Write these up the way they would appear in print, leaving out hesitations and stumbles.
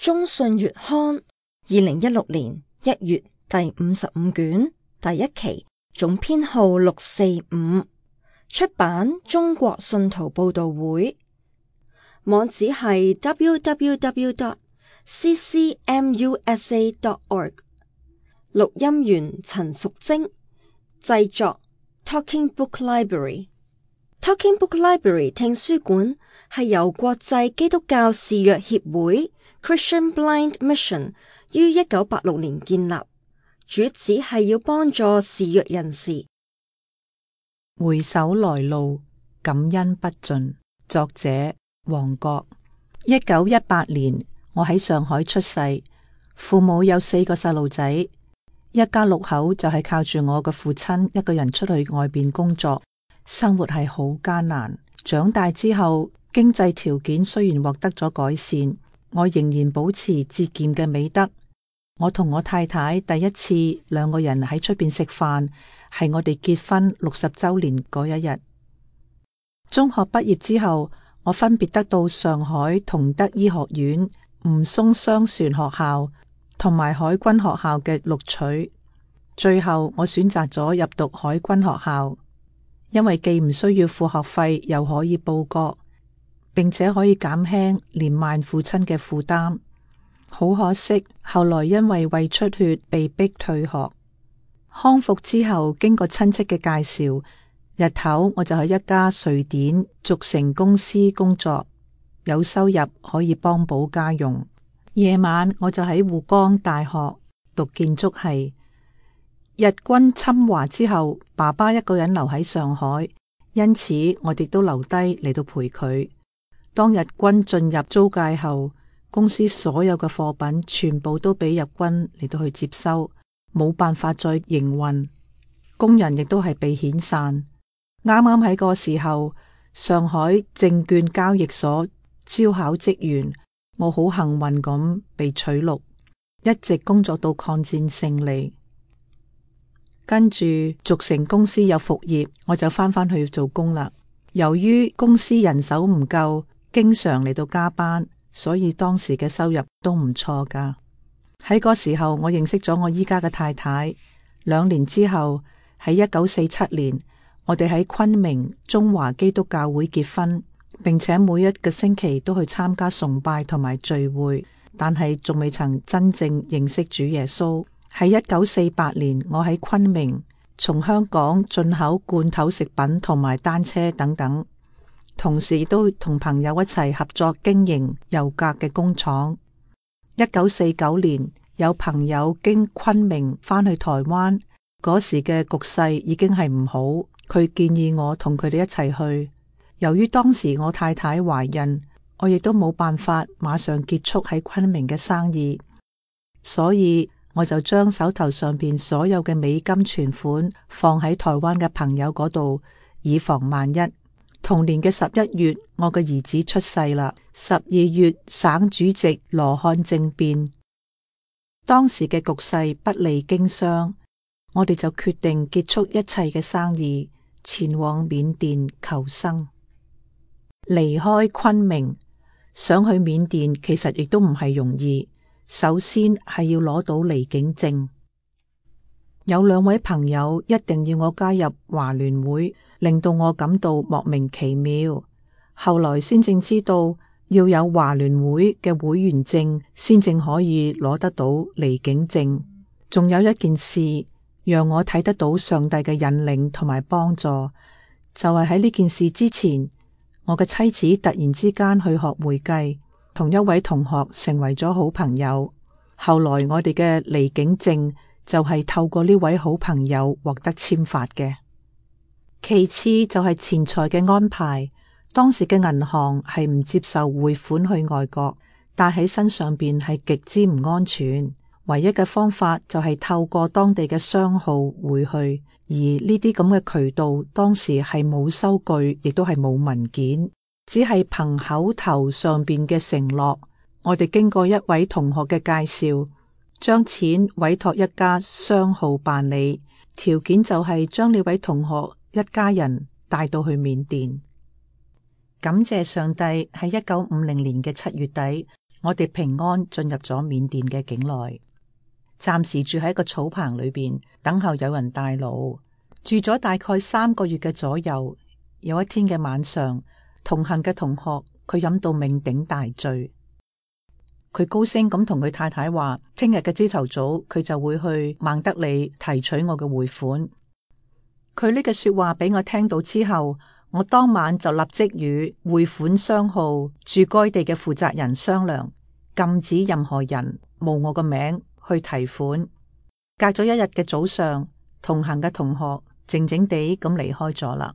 中信月刊2016年1月第55卷第1期，總編號645，出版中國信徒報道會，網址係 www.ccmusa.org。 錄音員陳淑貞，製作 Talking Book Library。Talking Book Library 聽書館係由國際基督教視弱協會 Christian Blind Mission 於1986年建立，主旨係要幫助視弱人士。回首來路，感恩不盡。作者黃國。1918年，我喺上海出世，父母有4個細路仔，一家6口就係靠住我嘅父親一個人出去外邊工作，生活係好艱難。長大之後，經濟條件雖然獲得咗改善，我仍然保持節儉嘅美德。我同我太太第一次2個人喺出邊食飯，係我哋結婚60周年嗰一日。中學畢業之後，我分別得到上海同德醫學院、吳淞商船學校同埋海軍學校嘅錄取，最後我選擇咗入讀海軍學校，因為既唔需要付學費，又可以報國，並且可以減輕年邁父親嘅負擔。好可惜，後來因為胃出血被逼退學。康復之後，經過親戚嘅介紹，日頭我就喺一家瑞典軸承公司工作，有收入可以幫補家用。夜晚我就喺滬江大學讀建築系。日軍侵華之後，爸爸一個人留喺上海，因此我哋都留低嚟到陪佢。當日軍進入租界後，公司所有嘅貨品全部都俾日軍嚟到去接收，冇辦法再營運，工人亦都係被遣散。啱啱喺個時候，上海證券交易所招考職員，我好幸運咁被取錄，一直工作到抗戰勝利。跟住軸承公司有復業，我就翻去做工啦。由於公司人手唔夠，經常嚟到加班，所以當時嘅收入都唔錯噶。喺嗰時候，我認識咗我依家嘅太太。2年之後，喺1947年，我哋喺昆明中華基督教會結婚，並且每一個星期都去參加崇拜同埋聚會，但係仲未曾真正認識主耶穌。喺1948年，我喺昆明從香港進口罐頭食品同埋單車等等，同時都同朋友一齊合作經營油格嘅工廠。1949年，有朋友經昆明返去台灣，嗰時嘅局勢已經係唔好，佢建議我同佢哋一齊去。由於當時我太太懷孕，我亦都冇辦法馬上結束喺昆明嘅生意，所以我就將手頭上邊所有嘅美金存款放喺台灣嘅朋友嗰度，以防萬一。同年嘅11月，我嘅兒子出世啦。12月，省主席羅漢政變，當時嘅局勢不利經商，我哋就決定結束一切嘅生意，前往緬甸求生。離開昆明，想去緬甸，其實亦都唔係容易。首先係要攞到離境證。有2位朋友一定要我加入華聯會，令到我感到莫名其妙。後來先正知道要有華聯會嘅會員證，先正可以攞得到離境證。仲有一件事讓我睇得到上帝嘅引領同埋幫助，就係喺呢件事之前，我嘅妻子突然之間去學會計，同一位同學成為咗好朋友。後來我哋嘅離境證就係透過呢位好朋友獲得簽發嘅。其次就係錢財嘅安排，當時嘅銀行係唔接受匯款去外國，帶喺身上邊係極之唔安全。唯一嘅方法就係透過當地嘅商號匯去，而呢啲咁嘅渠道當時係冇收據，亦都係冇文件，只係憑口頭上邊嘅承諾。我哋經過一位同學嘅介紹，將錢委託一家商號辦理，條件就係將呢位同學一家人帶到去緬甸。感謝上帝，喺1950年嘅7月底，我哋平安進入咗緬甸嘅境內，暫時住喺一個草棚裏邊，等候有人帶路。住咗大概3個月嘅左右，有一天嘅晚上，同行嘅同學佢飲到酩酊大醉，佢高聲咁同佢太太話，聽日嘅朝頭早佢就會去孟德里提取我嘅匯款。佢呢句說話俾我聽到之後，我當晚就立即與匯款商號駐該地嘅負責人商量，禁止任何人冒我個名去提款。隔咗1日嘅早上，同行嘅同學靜靜地咁離開咗啦。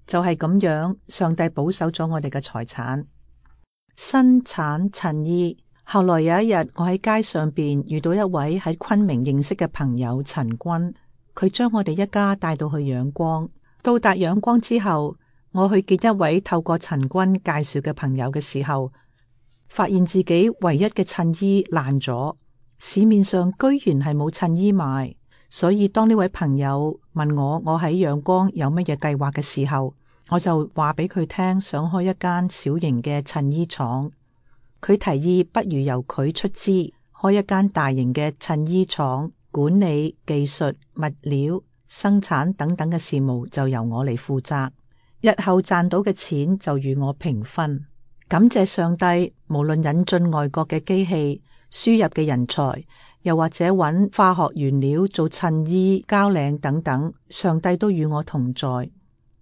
就係咁樣，上帝保守咗我哋嘅財產。生產襯衣。後來有一日，我喺街上邊遇到一位喺昆明認識嘅朋友陳君，佢將我哋一家帶到去仰光。到達仰光之後，我去見一位透過陳君介紹嘅朋友嘅時候，發現自己唯一嘅襯衣爛咗，市面上居然係冇襯衣賣。所以當呢位朋友問我喺仰光有乜嘢計劃嘅時候，我就話俾佢聽，想開一間小型嘅襯衣廠。佢提議不如由佢出資開一間大型嘅襯衣廠，管理、技術、物料、生產等等嘅事務就由我嚟負責，日後賺到嘅錢就與我平分。感謝上帝，無論引進外國嘅機器、輸入嘅人才，又或者揾化學原料做襯衣、交領等等，上帝都與我同在，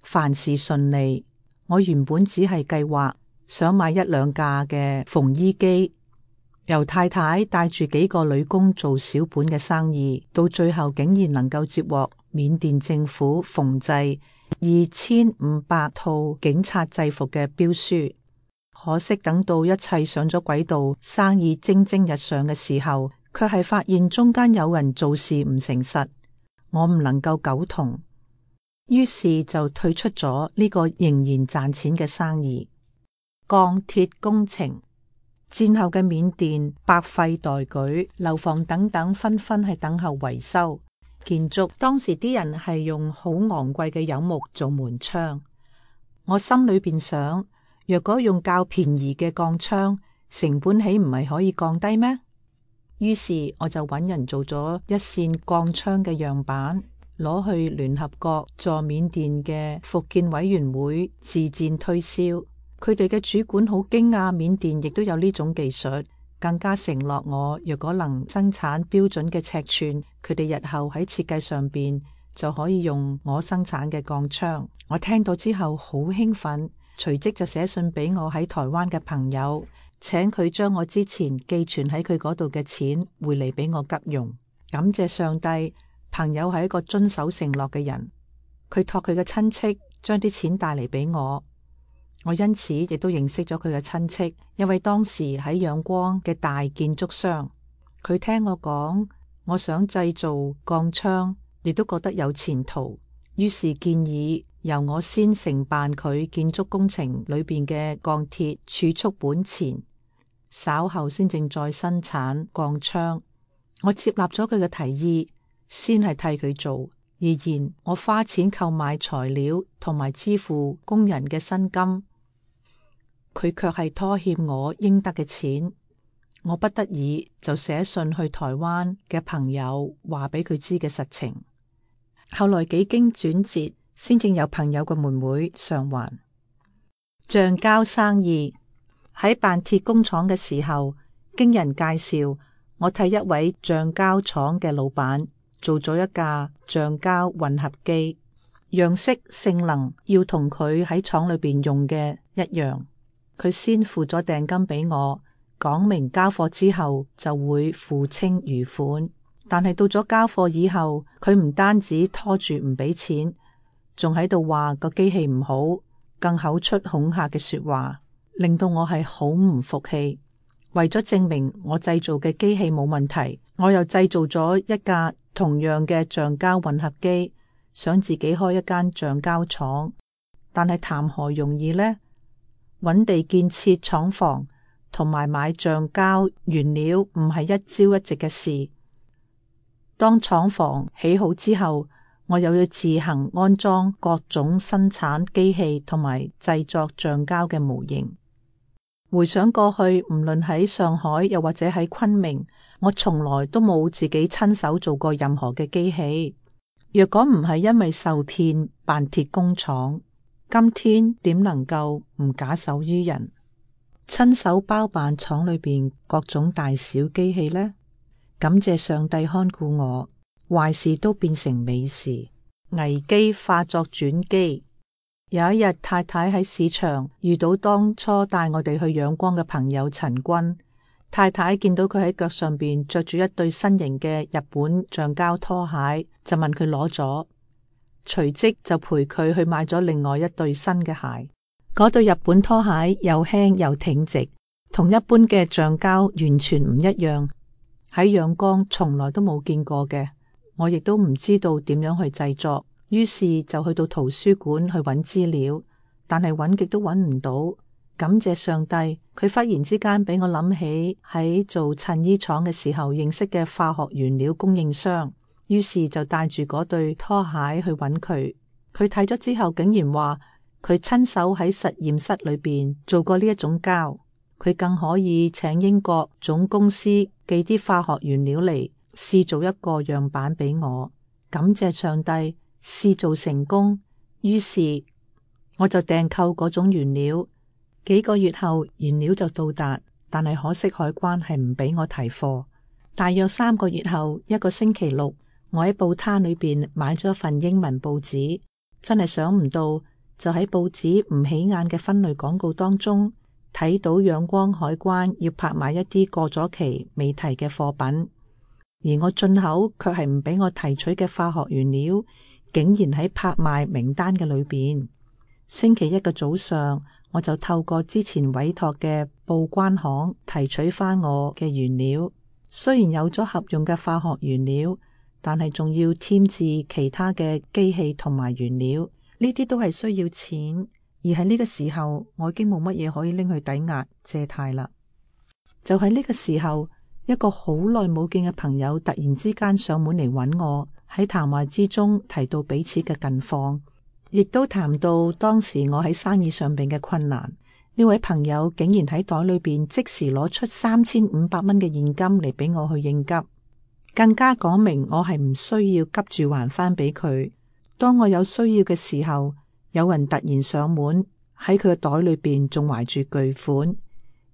凡事順利。我原本只係計劃想買1-2架嘅縫衣機，由太太帶住幾個女工做小本嘅生意，到最後竟然能夠接獲緬甸政府縫製2500套警察制服嘅標書。可惜等到一切上咗軌道，生意蒸蒸日上嘅時候，卻係發現中間有人做事唔誠實，我唔能夠苟同，於是就退出咗呢個仍然賺錢嘅生意。鋼鐵工程。戰後嘅緬甸百廢待舉，樓房等等紛紛係等候維修。建築當時啲人係用好昂貴嘅柚木做門窗，我心裏邊想，若果用較便宜嘅鋼窗，成本豈唔係可以降低咩？於是我就揾人做咗一扇鋼窗嘅樣板，攞去聯合國駐緬甸嘅復建委員會自薦推銷。佢哋嘅主管好驚訝，緬甸亦都有呢種技術，更加承諾我若果能生產標準嘅尺寸，佢哋日後喺設計上邊就可以用我生產嘅鋼窗。我聽到之後好興奮，隨即就寫信俾我喺台灣嘅朋友，請佢將我之前寄存喺佢嗰度嘅錢匯嚟俾我急用。感謝上帝，朋友係一個遵守承諾嘅人，佢託佢嘅親戚將啲錢帶嚟俾我。我因此亦都認識咗佢嘅親戚，一位當時喺仰光嘅大建築商。佢聽我講，我想製造鋼窗，亦都覺得有前途，於是建議由我先承辦佢建築工程裏邊嘅鋼鐵儲蓄本錢，稍後先正再生產鋼窗。我接納咗佢嘅提議，先係替佢做，然我花錢購買材料同埋支付工人嘅薪金。佢卻係拖欠我應得嘅錢，我不得已就寫信去台灣嘅朋友話俾佢知嘅實情。後來幾經轉折，先正有朋友嘅妹妹償還。橡膠生意。喺辦鐵工廠嘅時候，經人介紹，我替一位橡膠廠嘅老闆做咗一架橡膠混合機，樣式性能要同佢喺廠裏邊用嘅一樣。佢先付咗訂金俾我，講明交貨之後就會付清餘款。但係到咗交貨以後，佢唔單止拖住唔俾錢，仲喺度話個機器唔好，更口出恐嚇嘅說話，令到我係好唔服氣。為咗證明我製造嘅機器冇問題，我又製造咗一架同樣嘅橡膠混合機，想自己開一間橡膠廠。但係談何容易呢？揾地建設廠房同埋買橡膠原料唔係一朝一夕嘅事。當廠房起好之後，我又要自行安裝各種生產機器同埋製作橡膠嘅模型。回想過去，唔論喺上海又或者喺昆明，我從來都冇自己親手做過任何嘅機器。若果唔係因為受騙辦鐵工廠，今天點能夠唔假手於人，親手包辦廠裏邊各種大小機器呢？感謝上帝看顧我，壞事都變成美事，危機化作轉機。有一日，太太喺市場遇到當初帶我哋去仰光嘅朋友陳君。太太見到佢喺腳上邊着住一對新型嘅日本橡膠拖鞋，就問佢攞咗，隨即就陪佢去買咗另外一對新嘅鞋。嗰對日本拖鞋又輕又挺直，同一般嘅橡膠完全唔一樣，喺仰光從來都冇見過嘅，我亦都唔知道點樣去製作。於是就去到圖書館去揾資料，但係揾極都揾唔到。感謝上帝，佢忽然之間俾我諗起喺做襯衣廠嘅時候認識嘅化學原料供應商，於是就帶住嗰對拖鞋去揾佢。佢睇咗之後竟然話佢親手喺實驗室裏邊做過呢一種膠，佢更可以請英國總公司寄啲化學原料嚟試做一個樣板俾我。感謝上帝，試做成功，於是我就訂購嗰種原料。幾個月後原料就到達，但係可惜海關係唔俾我提貨。大約3個月後，一個星期六，我喺報攤裏邊買咗一份英文報紙，真係想唔到，就喺報紙唔起眼嘅分類廣告當中睇到仰光海關要拍賣一啲過咗期未提嘅貨品，而我進口卻係唔俾我提取嘅化學原料竟然喺拍賣名單嘅裏邊。星期一嘅早上，我就透過之前委託嘅報關行提取翻我嘅原料。雖然有咗合用嘅化學原料，但係仲要添置其他嘅機器同埋原料，呢啲都係需要錢。而喺呢個時候，我已經冇乜嘢可以拎去抵押借貸啦。就喺呢個時候，一個好耐冇見嘅朋友突然之間上門嚟揾我，喺談話之中提到彼此嘅近況，亦都談到當時我喺生意上邊嘅困難。呢位朋友竟然喺袋裏邊即時攞出3500蚊嘅現金嚟俾我去應急，更加講明我係唔需要急住還翻俾佢。當我有需要嘅時候，有人突然上門，喺佢嘅袋裏邊仲懷住巨款，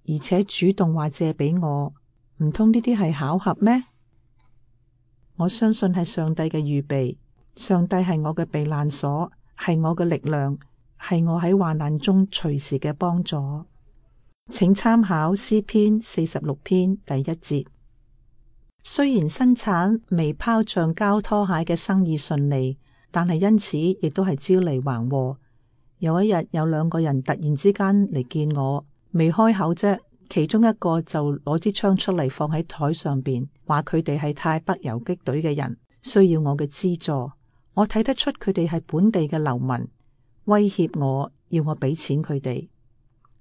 而且主動話借俾我。唔通呢啲係巧合咩？我相信係上帝嘅預備。上帝係我嘅避難所，係我嘅力量，係我喺患難中隨時嘅幫助。請參考詩篇46篇第1節。雖然生產微泡橡膠拖鞋嘅生意順利，但係因此亦都係招嚟橫禍。有一日，有2個人突然之間嚟見我，未開口啫，其中一個就攞支槍出嚟放喺台上邊，話佢哋係泰北游擊隊嘅人，需要我嘅資助。我睇得出佢哋係本地嘅流民，威脅我要我俾錢佢哋。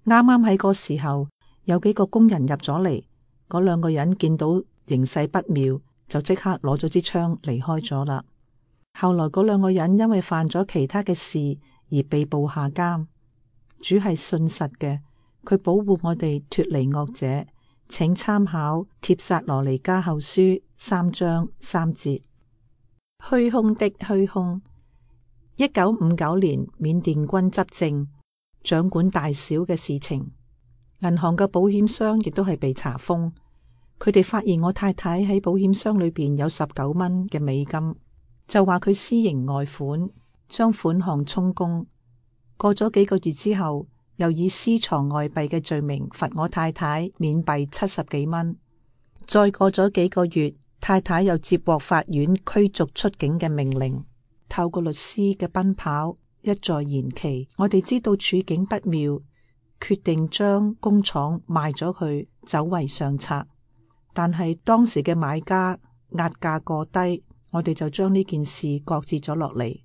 啱啱喺嗰時候，有幾個工人入咗嚟，嗰2個人見到形勢不妙，就即刻攞咗支槍離開咗啦。後來嗰2個人因為犯咗其他嘅事而被捕下監。主係信實嘅，佢保護我哋脫離惡者。請參考帖撒羅尼迦後書3章3節。虛空的虛空。1959年，緬甸軍執政，掌管大小嘅事情。銀行嘅保險箱亦都係被查封。佢哋發現我太太喺保險箱裏邊有19蚊嘅美金，就話佢私刑外款，將款項充公。過咗幾個月之後，又以私藏外幣嘅罪名罰我太太緬幣70幾蚊。再過咗幾個月，太太又接獲法院驅逐出境嘅命令。透過律師嘅奔跑，一再延期，我哋知道處境不妙，決定將工廠賣咗佢，走為上策。但係當時嘅買家壓價過低，我哋就將呢件事擱置咗落嚟。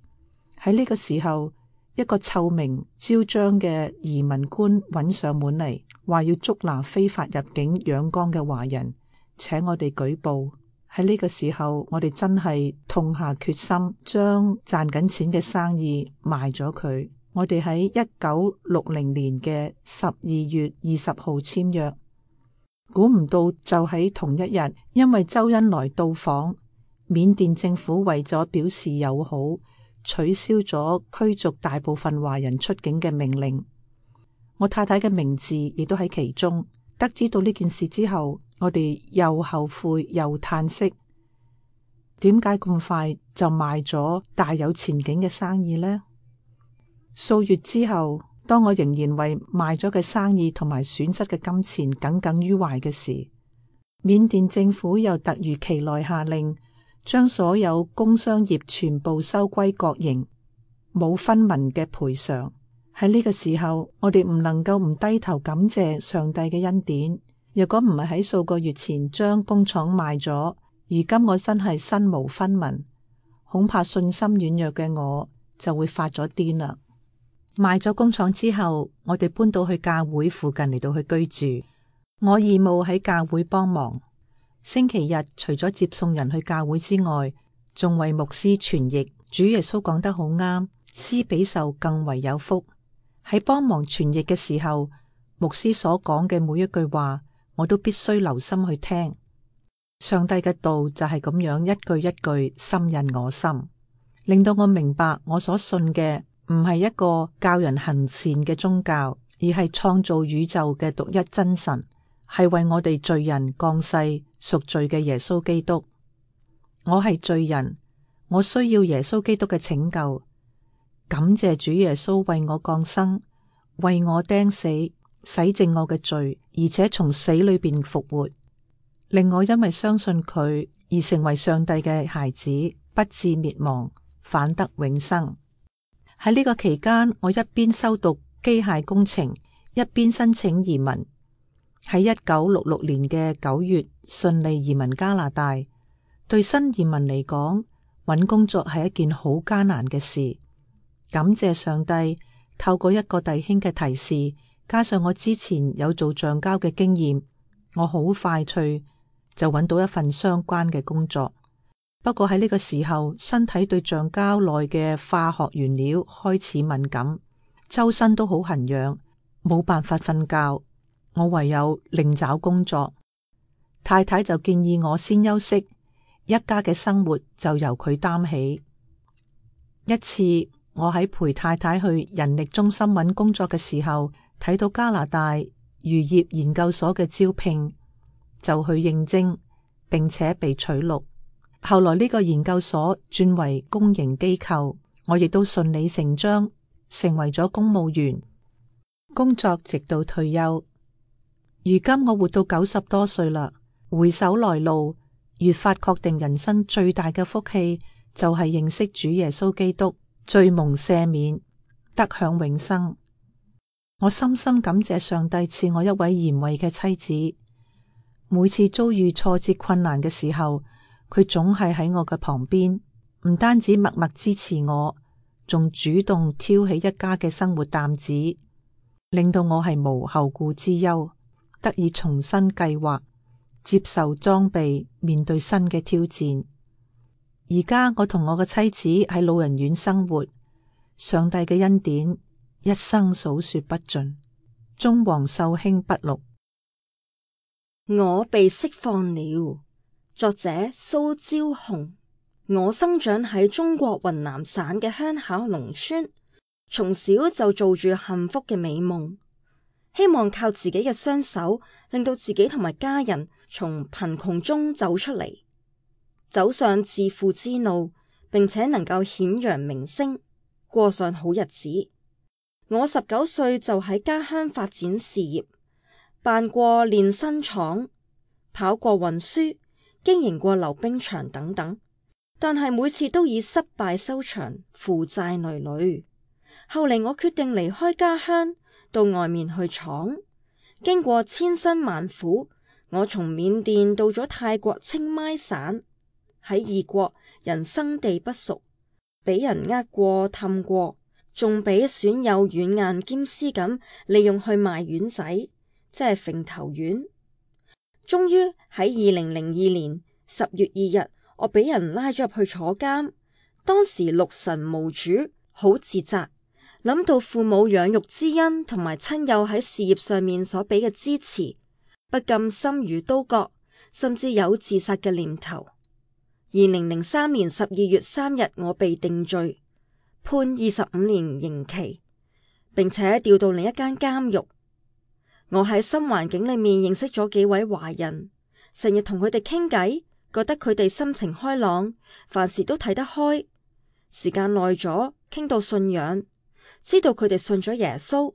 喺呢個時候，一個臭名昭彰嘅移民官揾上門嚟，話要捉拿非法入境仰光嘅華人，請我哋舉報。喺呢個時候，我哋真係痛下決心，將賺緊錢嘅生意賣咗佢。我哋喺1960年嘅12月20號簽約，估唔到就喺同一日，因為周恩來到訪，緬甸政府為咗表示友好，取消咗驅逐大部分華人出境嘅命令。我太太嘅名字亦都喺其中。得知到呢件事之後，我哋又後悔又嘆息，點解咁快就賣咗大有前景嘅生意呢？數月之後，當我仍然為賣咗嘅生意同埋損失嘅金錢耿耿於懷嘅時，緬甸政府又突如其來下令，將所有工商業全部收歸國營，冇分文嘅賠償。喺呢個時候，我哋唔能夠唔低頭感謝上帝嘅恩典。若果唔係喺數個月前將工廠賣咗，如今我真係身無分文，恐怕信心軟弱嘅我就會發咗癲啦。賣咗工廠之後，我哋搬到去教會附近嚟到去居住。我義務喺教會幫忙，星期日除咗接送人去教會之外，仲為牧師傳譯。主耶穌講得好啱，施比受更為有福。喺幫忙傳譯嘅時候，牧師所講嘅每一句話，我都必須留心去聽。上帝嘅道就係咁樣一句一句深印我心，令到我明白我所信嘅唔係一個教人行善嘅宗教，而係創造宇宙嘅獨一真神，係為我哋罪人降世贖罪嘅耶穌基督。我係罪人，我需要耶穌基督嘅拯救。感謝主耶穌為我降生，為我釘死，洗淨我嘅罪，而且從死裏邊復活，令我因為相信佢而成為上帝嘅孩子，不致滅亡，反得永生。喺呢個期間，我一邊修讀機械工程，一邊申請移民。喺1966年嘅9月，順利移民加拿大。對新移民嚟講，揾工作係一件好艱難嘅事。感謝上帝，透過一個弟兄嘅提示，加上我之前有做橡膠嘅經驗，我好快脆就揾到一份相關嘅工作。不過喺呢個時候，身體對橡膠內嘅化學原料開始敏感，周身都好痕癢，冇辦法瞓覺，我唯有另找工作。太太就建議我先休息，一家嘅生活就由佢擔起。一次我喺陪太太去人力中心揾工作嘅時候，睇到加拿大漁業研究所嘅招聘，就去應徵，並且被取錄。後來呢個研究所轉為公營機構，我亦都順理成章成為咗公務員，工作直到退休。如今我活到90多歲啦，回首來路，越發確定人生最大嘅福氣就係認識主耶穌基督，罪蒙赦免，得享永生。我深深感謝上帝賜我一位賢惠嘅妻子，每次遭遇挫折困難嘅時候，佢總係喺我嘅旁邊，唔單止默默支持我，仲主動挑起一家嘅生活擔子，令到我係無後顧之憂，得以重新計劃，接受裝備，面對新嘅挑戰。而家我同我嘅妻子喺老人院生活，上帝嘅恩典一生數說不盡。中黃秀卿筆錄。我被釋放了。作者蘇朝紅。我生長喺中國雲南省嘅鄉下農村，從小就做住幸福嘅美夢，希望靠自己嘅雙手令到自己同埋家人從貧窮中走出嚟，走上致富之路，並且能夠顯揚名聲，過上好日子。我19歲就喺家鄉發展事業，辦過煉身廠，跑過運輸，經營過溜冰場等等，但係每次都以失敗收場，負債累累。後嚟我決定離開家鄉，到外面去闖。經過千辛萬苦，我從緬甸到咗泰國清邁省。喺異國，人生地不熟，俾人呃過氹過，仲俾損友軟硬兼施咁利用去賣丸仔，即係揈頭丸。終於喺2002年10月2日，我俾人拉咗入去坐監。當時六神無主，好自責，諗到父母養育之恩同埋親友喺事業上面所俾嘅支持，不禁心如刀割，甚至有自殺嘅念頭。2003年12月3日，我被定罪，判25年刑期，並且調到另一間監獄。我喺新環境裏面認識咗幾位華人，成日同佢哋傾偈，覺得佢哋心情開朗，凡事都睇得開。時間耐咗，傾到信仰，知道佢哋信咗耶穌，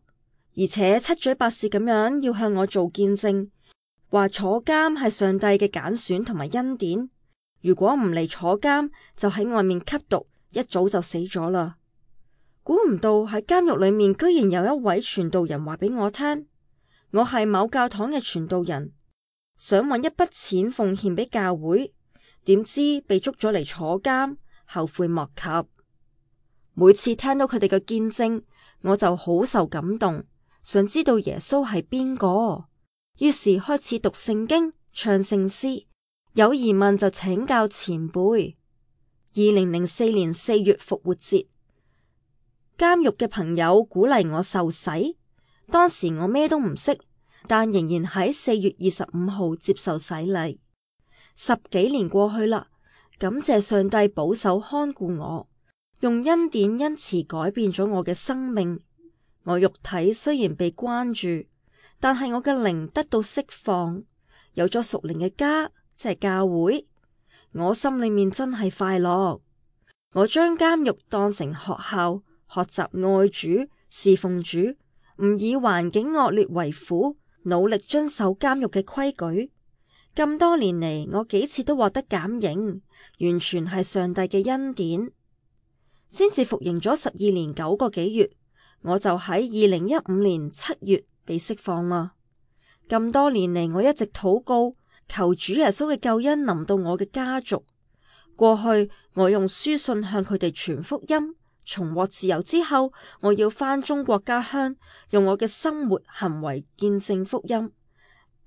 而且七嘴八舌咁樣要向我做見證，話坐監係上帝嘅揀選同埋恩典。如果唔嚟坐監，就喺外面吸毒，一早就死咗啦。估唔到喺監獄裏面，居然有一位傳道人話俾我聽，我係某教堂嘅傳道人，想搵一筆錢奉獻俾教會，點知被捉咗嚟坐監，後悔莫及。每次聽到佢哋嘅見證，我就好受感動，想知道耶穌係邊個，於是開始讀聖經、唱聖詩，有疑問就請教前輩。2004年4月復活節，監獄嘅朋友鼓勵我受洗，當時我咩都唔識，但仍然喺4月25號接受洗禮。10幾年過去啦，感謝上帝保守看顧我，用恩典恩慈改變咗我嘅生命。我肉體雖然被關住，但係我嘅靈得到釋放，有咗屬靈嘅家，即係教會。我心裏面真係快樂。我將監獄當成學校，學習愛主、侍奉主，唔以環境惡劣為苦，努力遵守監獄嘅規矩。咁多年嚟，我幾次都獲得減刑，完全係上帝嘅恩典。先至服刑咗12年9個幾月，我就喺2015年7月被釋放啦。咁多年嚟，我一直禱告，求主耶穌嘅救恩臨到我嘅家族。過去我用書信向佢哋傳福音，重獲自由之後，我要返中國家鄉，用我嘅生活行為見證福音，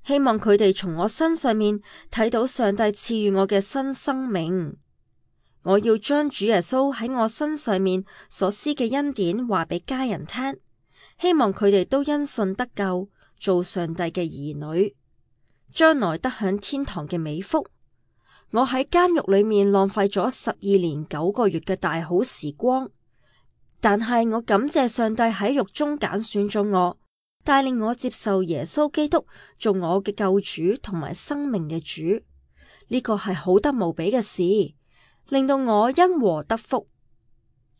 希望佢哋從我身上面睇到上帝賜予我嘅新生命。我要將主耶穌喺我身上面所施嘅恩典話俾家人聽，希望佢哋都因信得救，做上帝嘅兒女，將來得享天堂嘅美福。我喺監獄裏面浪費咗12年9個月嘅大好時光，但係我感謝上帝喺獄中揀選咗我，帶領我接受耶穌基督做我嘅救主同埋生命嘅主。呢個係好得無比嘅事，令到我因禍得福。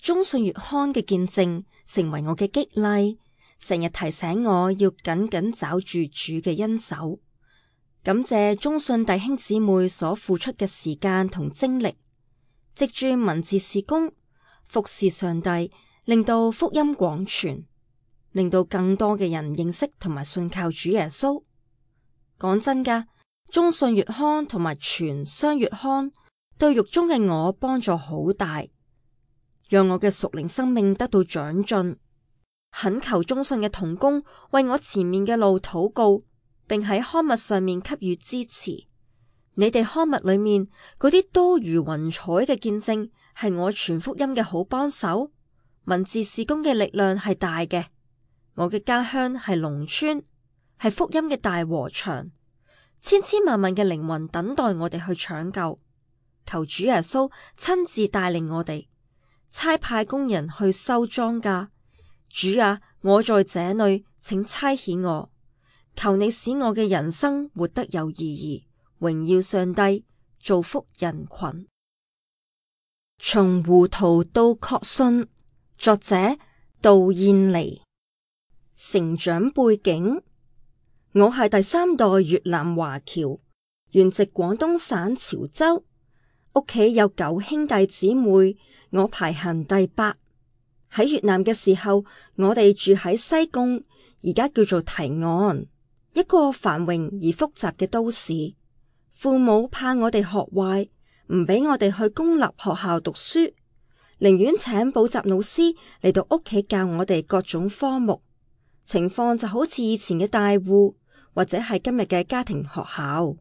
中信月刊嘅見證成為我嘅激勵，成日提醒我要緊緊抓住主嘅恩手。感謝中信弟兄姊妹所付出嘅時間同精力，藉住文字事工服侍上帝，令到福音廣傳，令到更多嘅人認識同埋信靠主耶穌。講真噶，中信月刊同埋全商月刊對獄中嘅我幫助好大，讓我嘅屬靈生命得到長進。懇求中信嘅同工為我前面嘅路禱告，並喺刊物上面給予支持。你哋刊物裏面嗰啲多如雲彩嘅見證，係我傳福音嘅好幫手。文字事工嘅力量係大嘅。我嘅家鄉係農村，係福音嘅大禾場，千千萬萬嘅靈魂等待我哋去搶救。求主耶穌親自帶領我哋，差派工人去收莊稼。主啊，我在這裏，請差遣我。求你使我嘅人生活得有意義，榮耀上帝，造福人群。從糊塗到確信，作者杜燕妮。成長背景：我係第3代越南華僑，原籍廣東省潮州，屋企有9兄弟姊妹，我排行第8。喺越南嘅時候，我哋住喺西貢，而家叫做堤岸，一個繁榮而複雜嘅都市。父母怕我哋學壞，唔俾我哋去公立學校讀書，寧願請補習老師嚟到屋企教我哋各種科目。情況就好似以前嘅大戶，或者係今日嘅家庭學校。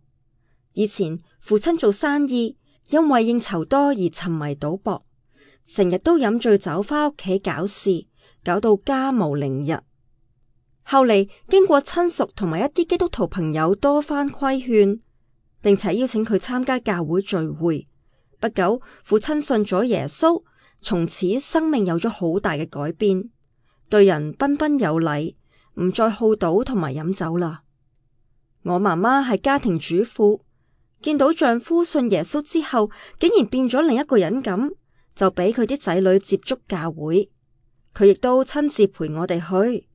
以前父親做生意，因為應酬多而沉迷賭博，成日都飲醉酒返屋企搞事，搞到家無寧日。後嚟經過親屬同埋一啲基督徒朋友多番規勸，並且邀請佢參加教會聚會，不久父親信咗耶穌，從此生命有咗好大嘅改變，對人彬彬有禮，唔再好賭同埋飲酒啦。我媽媽係家庭主婦，見到丈夫信耶穌之後，竟然變咗另一個人咁，就俾佢啲仔女接觸教會，佢亦都親自陪我哋去。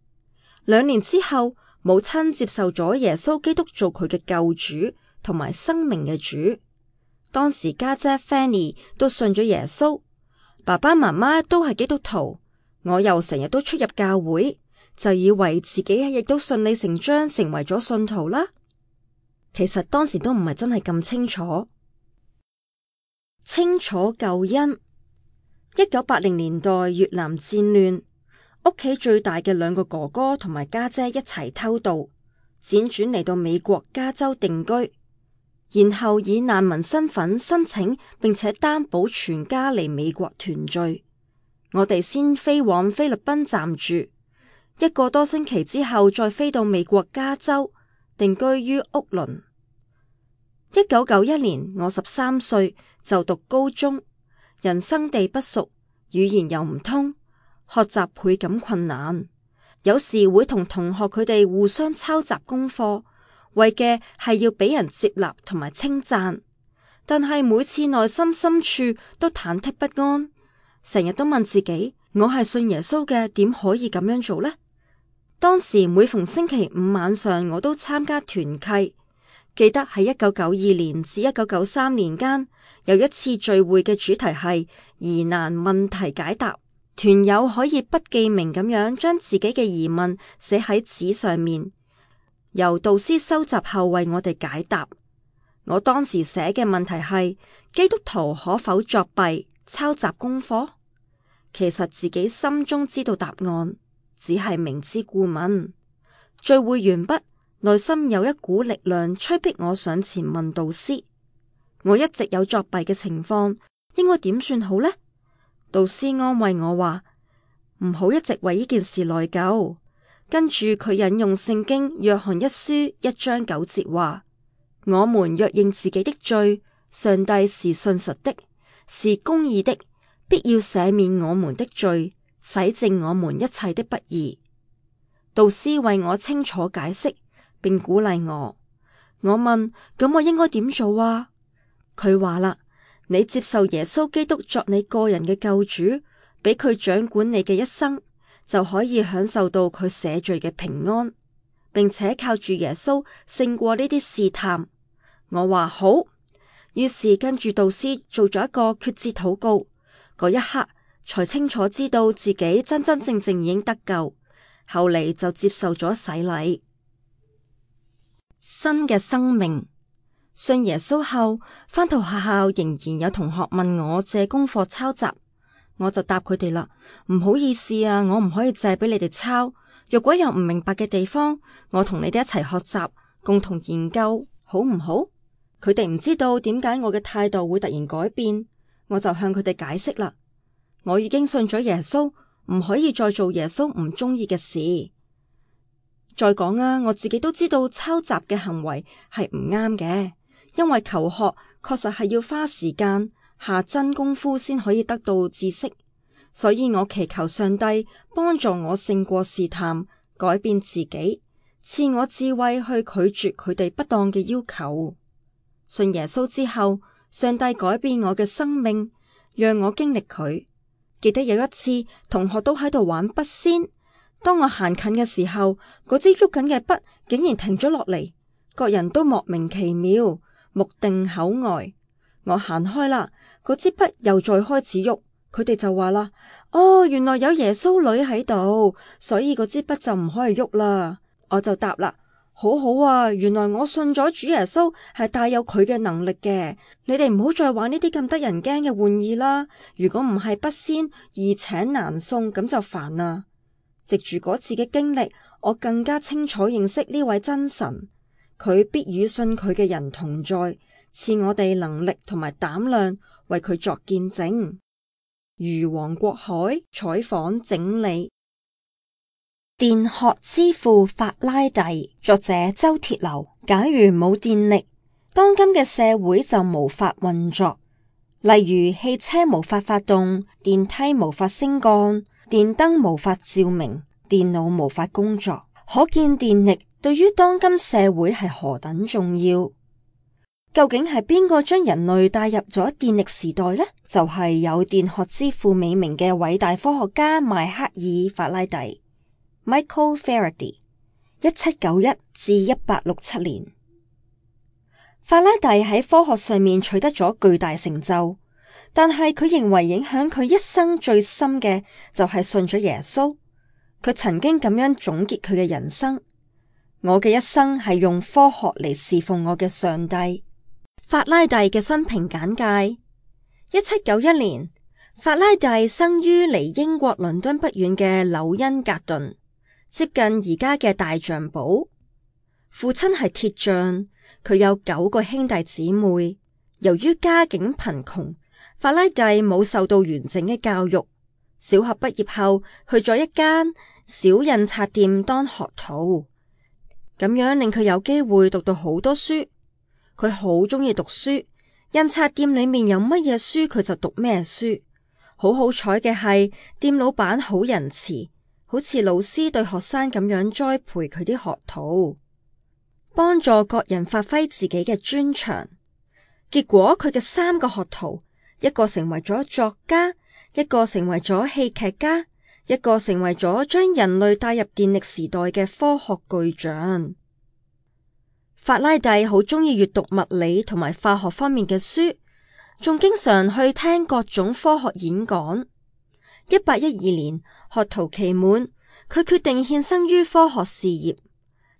2年之後，母親接受咗耶穌基督做佢嘅救主同埋生命嘅主。當時家姐 Fanny 都信咗耶穌，爸爸媽媽都係基督徒，我又成日都出入教會，就以為自己亦都順理成章成為咗信徒啦。其實當時都唔係真係咁清楚。清楚救恩。1980年代越南戰亂，屋企最大嘅2個哥哥同埋家姐一齊偷渡，輾轉嚟到美國加州定居，然後以難民身份申請並且擔保全家嚟美國團聚。我哋先飛往菲律賓暫住，1個多星期之後再飛到美國加州定居於屋崙。1991年我13歲就讀高中，人生地不熟，語言又唔通，學習倍感困難。有時會同同學佢哋互相抄襲功課，為嘅係要俾人接納同埋稱讚。但係每次內心深處都忐忑不安，成日都問自己：我係信耶穌嘅，點可以咁樣做呢？當時每逢星期5晚上，我都參加團契。記得喺1992年至1993年間，有一次聚會嘅主題係疑難問題解答，團友可以不記名咁樣將自己嘅疑問寫喺紙上面，由導師收集後為我哋解答。我當時寫嘅問題係：基督徒可否作弊、抄襲功課？其實自己心中知道答案，只係明知故問。聚會完畢，內心有一股力量催逼我上前問導師：我一直有作弊嘅情況，應該點算好呢？導師安慰我話：唔好一直為呢件事內疚。跟住佢引用聖經約翰1書1章9節話：我們若認自己的罪，上帝是信實的，是公義的，必要赦免我們的罪，洗淨我們一切的不義。導師為我清楚解釋，並鼓勵我。我問：咁我應該點做啊？佢話啦：你接受耶穌基督作你個人嘅救主，俾佢掌管你嘅一生，就可以享受到佢赦罪嘅平安，並且靠住耶穌勝過呢啲試探。我話好，於是跟住導師做咗一個決志禱告，嗰一刻才清楚知道自己真真正正已經得救。後嚟就接受咗洗禮。新嘅生命。信耶穌後，返到學校仍然有同學問我借功課抄襲，我就答佢哋啦：唔好意思啊，我唔可以借俾你哋抄。若果有唔明白嘅地方，我同你哋一齊學習，共同研究，好唔好？佢哋唔知道點解我嘅態度會突然改變，我就向佢哋解釋啦：我已經信咗耶穌，唔可以再做耶穌唔中意嘅事。再講啊，我自己都知道抄襲嘅行為係唔啱嘅，因為求學確實係要花時間下真功夫先可以得到知識，所以我祈求上帝幫助我勝過試探，改變自己，賜我智慧去拒絕佢哋不當嘅要求。信耶穌之後，上帝改變我嘅生命，讓我經歷佢。記得有一次，同學都喺度玩筆仙，當我行近嘅時候，嗰支喐緊嘅筆竟然停咗落嚟，各人都莫名其妙，目定口呆。我行開啦，嗰支筆又再開始喐，佢哋就話啦：哦，原來有耶穌女喺度，所以嗰支筆就唔可以喐啦。我就答啦：好好啊，原來我信咗主耶穌係帶有佢嘅能力嘅，你哋唔好再玩呢啲咁得人驚嘅玩意啦。如果唔係筆仙，易請難送，咁就煩啦。藉住嗰次嘅經歷，我更加清楚認識呢位真神，佢必與信佢嘅人同在，賜我哋能力同埋膽量為佢作見證。如黃國海採訪整理。電學之父法拉第，作者周鐵流。假如冇電力，當今嘅社會就無法運作。例如汽車無法發動，電梯無法升降，電燈無法照明，電腦無法工作。可見電力對於當今社會係何等重要。究竟係邊個將人類帶入咗電力時代呢？就係有電學之父美名嘅偉大科學家邁克爾法拉第 （Michael Faraday）。1791至1867年，法拉第喺科學上面取得咗巨大成就，但係佢認為影響佢一生最深嘅就係信咗耶穌。佢曾經咁樣總結佢嘅人生：我嘅一生係用科學嚟侍奉我嘅上帝。法拉第嘅生平簡介：1791年，法拉第生於離英國倫敦不遠嘅紐恩格頓，接近而家嘅大象堡。父親係鐵匠，佢有9個兄弟姊妹。由於家境貧窮，法拉第冇受到完整嘅教育。小學畢業後，去咗一間小印刷店當學徒，咁樣令佢有機會讀到好多書。佢好鍾意讀書，印刷店裏面有乜嘢書佢就讀咩書。好彩嘅係，店老闆好仁慈，好似老師對學生咁樣栽培佢啲學徒，幫助各人發揮自己嘅專長。結果佢嘅3個學徒，一個成為咗作家，一個成為咗戲劇家，一個成為咗將人類帶入電力時代嘅科學巨匠。法拉第好鍾意閱讀物理同埋化學方面嘅書，仲經常去聽各種科學演講。1812年，學徒期滿，佢決定獻身於科學事業。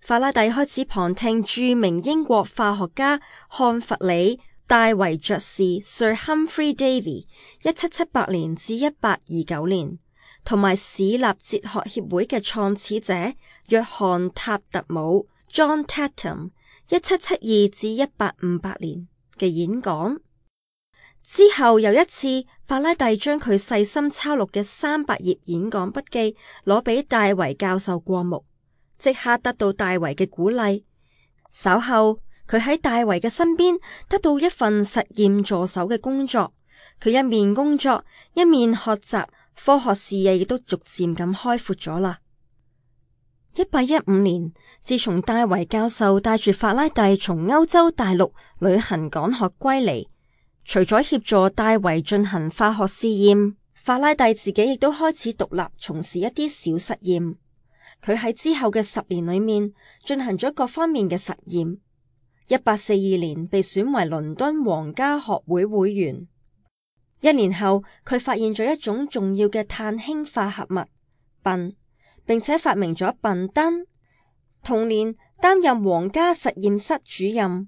法拉第開始旁聽著名英國化學家漢弗里·戴維爵士 Sir Humphrey Davy 1778年至1829年，同埋市立哲學協會嘅創始者約翰塔特姆 John Tatum 1772至1858年嘅演講。之後有一次，法拉第將佢細心抄錄嘅300頁演講筆記攞俾戴維教授過目，即刻得到戴維嘅鼓勵。稍後佢喺戴維嘅身邊得到一份實驗助手嘅工作，佢一面工作一面學習，科學視野亦都逐漸咁開闊咗啦。1815年，自從戴維教授帶住法拉第從歐洲大陸旅行講學歸嚟，除咗協助戴維進行化學試驗，法拉第自己亦都開始獨立從事一啲小實驗。佢喺之後嘅10年裏面進行咗各方面嘅實驗。1842年被選為倫敦皇家學會會員。1年後，佢發現咗一種重要嘅碳氫化合物苯，並且發明咗苯燈。同年擔任皇家實驗室主任，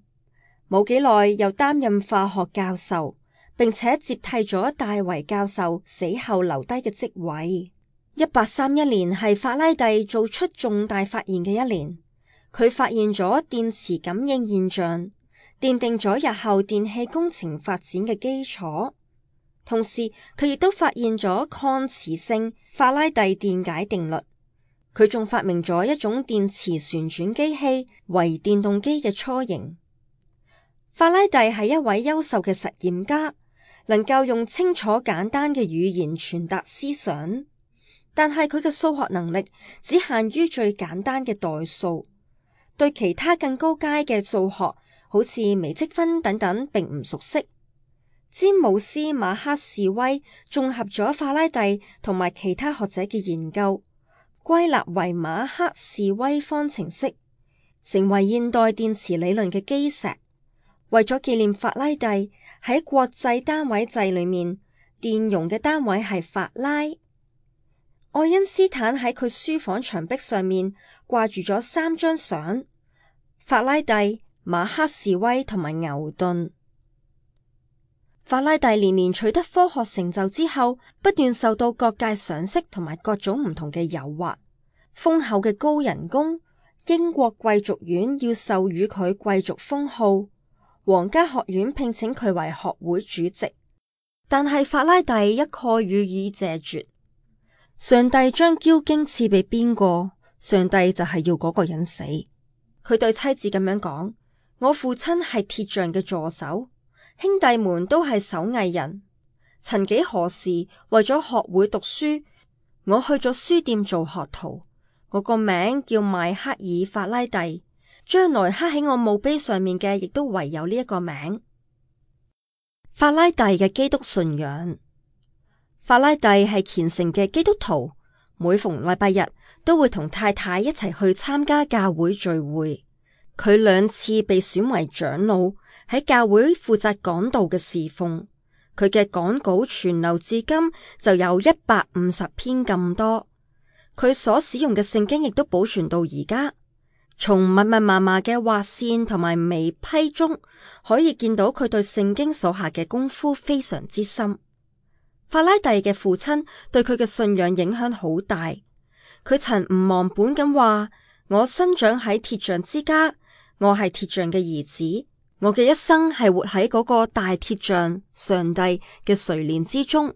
冇幾耐又擔任化學教授，並且接替咗戴維教授死後留低嘅職位。1831年係法拉第做出重大發現嘅一年，佢發現咗電磁感應現象，奠定咗日後電氣工程發展嘅基礎。同時，佢亦都發現咗抗磁性法拉第電解定律。佢仲發明咗一種電磁旋轉機器，為電動機嘅雛形。法拉第係一位優秀嘅實驗家，能夠用清楚簡單嘅語言傳達思想，但係佢嘅數學能力只限於最簡單嘅代數，對其他更高階嘅數學，好似微積分等等，並唔熟悉。詹姆斯·馬克士威綜合咗法拉第同埋其他學者嘅研究，歸納為馬克士威方程式，成為現代電磁理論嘅基石。為咗紀念法拉第，喺國際單位制裏面，電容嘅單位係法拉。愛因斯坦喺佢書房牆壁上面掛住咗3張相：法拉第、馬克士威同埋牛頓。法拉第年年取得科學成就之後，不斷受到各界賞識同埋各種唔同嘅誘惑。豐厚嘅高人工，英國貴族院要授予佢貴族封號，皇家學院聘請佢為學會主席。但係法拉第一概予以謝絕。上帝將驕矜賜俾邊個，上帝就係要嗰個人死。佢對妻子咁樣講：我父親係鐵匠嘅助手，兄弟們都係手藝人。曾幾何時，為咗學會讀書，我去咗書店做學徒。我個名叫邁克爾法拉第，將來刻喺我墓碑上面嘅亦都唯有呢一個名。法拉第嘅基督信仰。法拉第係虔誠嘅基督徒，每逢禮拜日都會同太太一齊去參加教會聚會。佢2次被選為長老，喺教會負責講道嘅侍奉。佢嘅講稿傳留至今就有150篇咁多。佢所使用嘅聖經亦都保存到而家。從密密麻麻嘅劃線同埋眉批中，可以見到佢對聖經所下嘅功夫非常之深。法拉第嘅父親對佢嘅信仰影響好大。佢曾唔忘本咁話：我生長喺鐵匠之家，我係鐵匠嘅兒子，我嘅一生係活喺嗰個大鐵匠上帝嘅垂憐之中。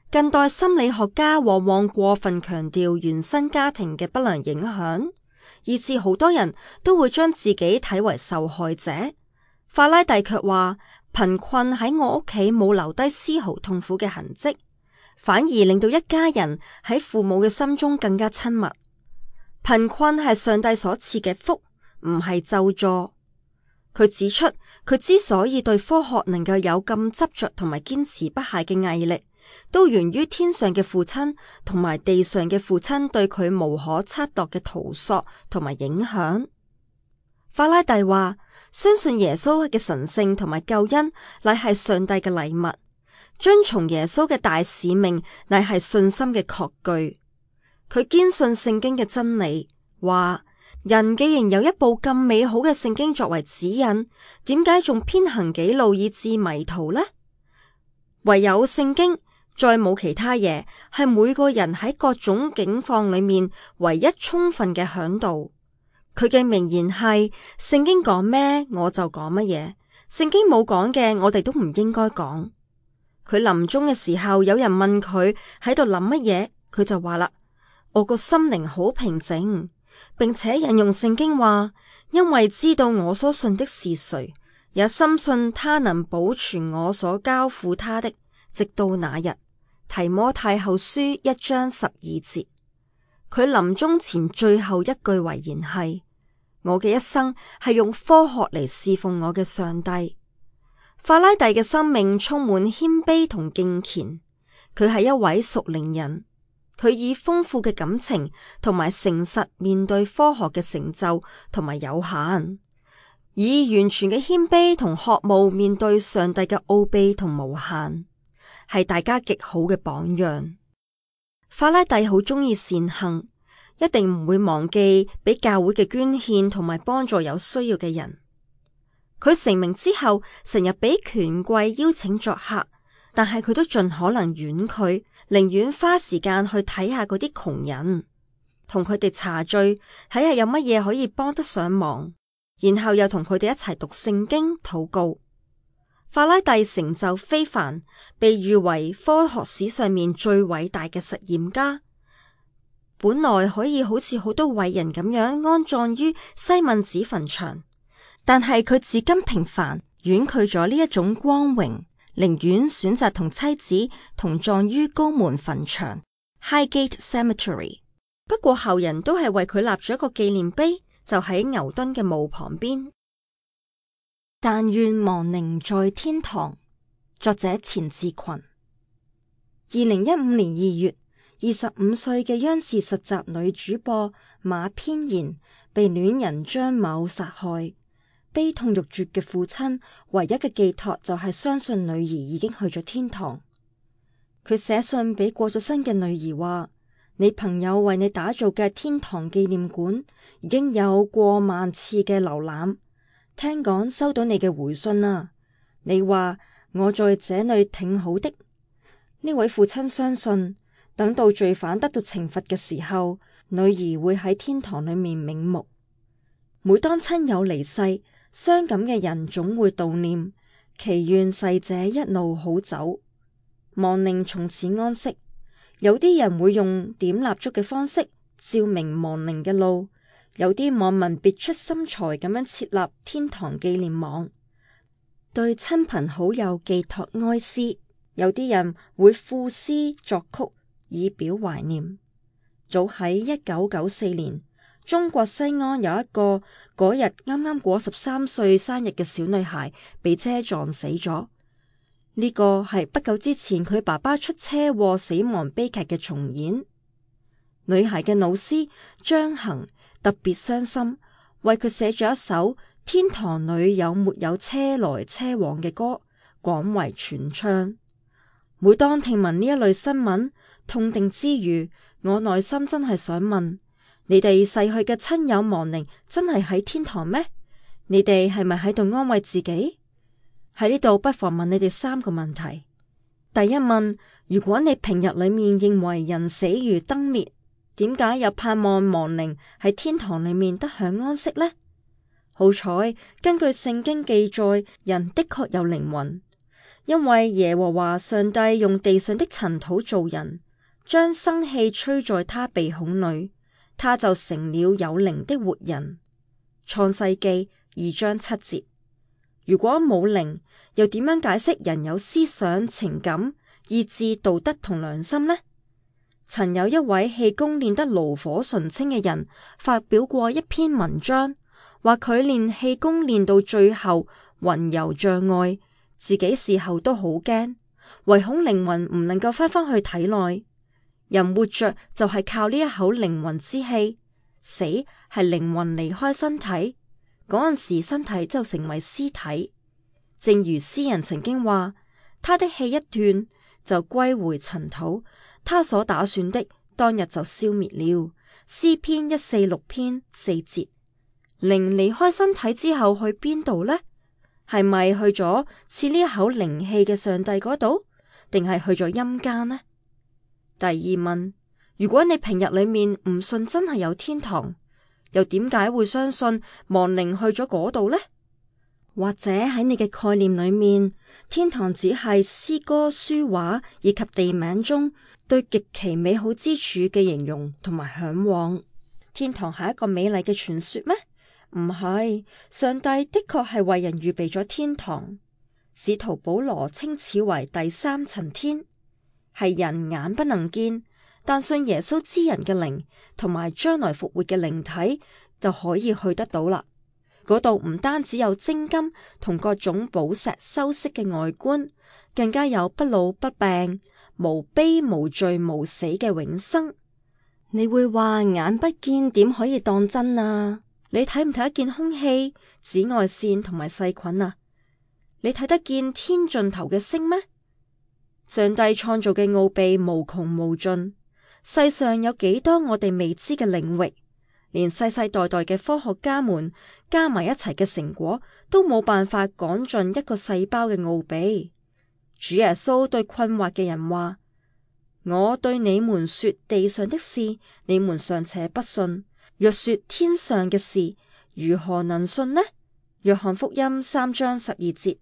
近代心理學家往往過分強調原生家庭嘅不良影響，以致好多人都會將自己睇為受害者。法拉第卻話：貧困喺我屋企冇留低絲毫痛苦嘅痕跡，反而令到一家人喺父母嘅心中更加親密。貧困係上帝所賜嘅福，唔係咒詛。佢指出，佢之所以對科學能夠有咁執着同埋堅持不懈嘅毅力，都源於天上嘅父親同埋地上嘅父親對佢無可測度嘅圖索同埋影響。法拉第話：相信耶穌嘅神聖同埋救恩乃係上帝嘅禮物，遵從耶穌嘅大使命乃係信心嘅確據。佢堅信聖經嘅真理，話人既然有一部咁美好嘅聖經作為指引，點解仲偏行己路以致迷途呢？唯有聖經，再冇其他嘢，係每個人喺各種境況裏面唯一充分嘅嚮導。佢嘅名言係：聖經講咩我就講乜嘢，聖經冇講嘅我哋都唔應該講。佢臨終嘅時候，有人問佢喺度諗乜嘢，佢就話啦：我個心靈好平靜，並且引用聖經話：因為知道我所信的是誰，也深信他能保存我所交付他的，直到那日。提摩太後書1章12節。佢臨終前最後一句遺言係：我嘅一生係用科學嚟侍奉我嘅上帝。法拉第嘅生命充滿謙卑同敬虔，佢係一位屬靈人。佢以豐富嘅感情同埋誠實面對科學嘅成就同埋有限，以完全嘅謙卑同渴慕面對上帝嘅奧秘同無限，係大家極好嘅榜樣。法拉第好鍾意善行，一定唔會忘記俾教會嘅捐獻同埋幫助有需要嘅人。佢成名之後，成日俾權貴邀請作客，但係佢都盡可能婉拒，寧願花時間去睇下嗰啲窮人，同佢哋茶敘，睇下有乜嘢可以幫得上忙，然後又同佢哋一齊讀聖經禱告。法拉第成就非凡，被譽為科學史上面最偉大嘅實驗家。本來可以好似好多偉人咁樣安葬於西敏寺墳場，但係佢至今平凡，婉拒咗呢一種光榮，寧願選擇同妻子同葬於高門墳場 Highgate Cemetery。不過後人都係為佢立咗一個紀念碑，就喺牛頓嘅墓旁邊。但願亡靈在天堂。作者錢志群。2015年2月，25歲嘅央視實習女主播馬翩然被戀人張某殺害。悲痛欲絕嘅父親唯一嘅寄託就係相信女兒已經去咗天堂。佢寫信俾過咗身嘅女兒話：你朋友為你打造嘅天堂紀念館已經有過萬次嘅瀏覽，聽講收到你嘅回信啦。你話我在這裏挺好的。呢位父親相信，等到罪犯得到懲罰嘅時候，女兒會喺天堂裏面瞑目。每當親友離世，傷感嘅人總會悼念，祈願逝者一路好走，亡靈從此安息。有啲人會用點蠟燭嘅方式照明亡靈嘅路。有啲網民別出心裁咁樣設立天堂紀念網，對親朋好友寄託哀思。有啲人會賦詩作曲以表懷念。早喺1994年，中國西安有一個嗰日啱啱過13歲生日嘅小女孩被車撞死咗。呢個係不久之前佢爸爸出車禍死亡悲劇嘅重演。女孩嘅老師張恒特別傷心，為佢寫咗一首《天堂裏有沒有車來車往》嘅歌，廣為傳唱。每當聽聞呢一類新聞，痛定之餘，我內心真係想問：你哋逝去嘅親友亡靈真係喺天堂咩？你哋係咪喺度安慰自己？喺呢度不妨問你哋3個問題。第一問：如果你平日裏面認為人死如燈滅，點解又盼望亡靈喺天堂裏面得享安息呢？好彩，根據聖經記載，人的確有靈魂，因為耶和華上帝用地上的塵土造人，將生氣吹在他鼻孔裏，他就成了有靈的活人。創世記2章7節。如果冇靈，又點樣解釋人有思想、情感、意志、道德同良心呢？曾有一位氣功練得爐火純青嘅人發表過一篇文章，話佢練氣功練到最後魂遊障礙，自己事後都好驚，唯恐靈魂唔能夠翻返去體內。人活着就係靠呢一口靈魂之氣，死係靈魂離開身體，嗰陣時身體就成為屍體。正如詩人曾經話，他的氣一斷就歸回塵土，他所打算的當日就消滅了。詩篇146篇4節。靈離開身體之後去邊度呢？係咪去咗賜呢一口靈氣嘅上帝嗰度，定係去咗陰間呢？第二問：如果你平日裏面唔信真係有天堂，又點解會相信亡靈去咗嗰度呢？或者喺你嘅概念裏面，天堂只係詩歌、書畫以及地名中對極其美好之處嘅形容同埋向往？天堂係一個美麗嘅傳說咩？唔係，上帝的確係為人預備咗天堂。使徒保羅稱此為第3層天，係人眼不能見，但信耶穌之人嘅靈同埋將來復活嘅靈體就可以去得到啦。嗰度唔單止有精金同各種寶石修飾嘅外觀，更加有不老不病、無悲無罪無死嘅永生。你會話眼不見點可以當真啊？你睇唔睇得見空氣、紫外線同埋細菌啊？你睇得見天盡頭嘅星咩？上帝創造嘅奧秘無窮無盡，世上有幾多我哋未知嘅領域，連世世代代嘅科學家們加埋一齊嘅成果都冇辦法講盡一個細胞嘅奧秘。主耶穌對困惑嘅人話：我對你們說地上的事，你們尚且不信，若說天上嘅事，如何能信呢？約翰福音3章12節。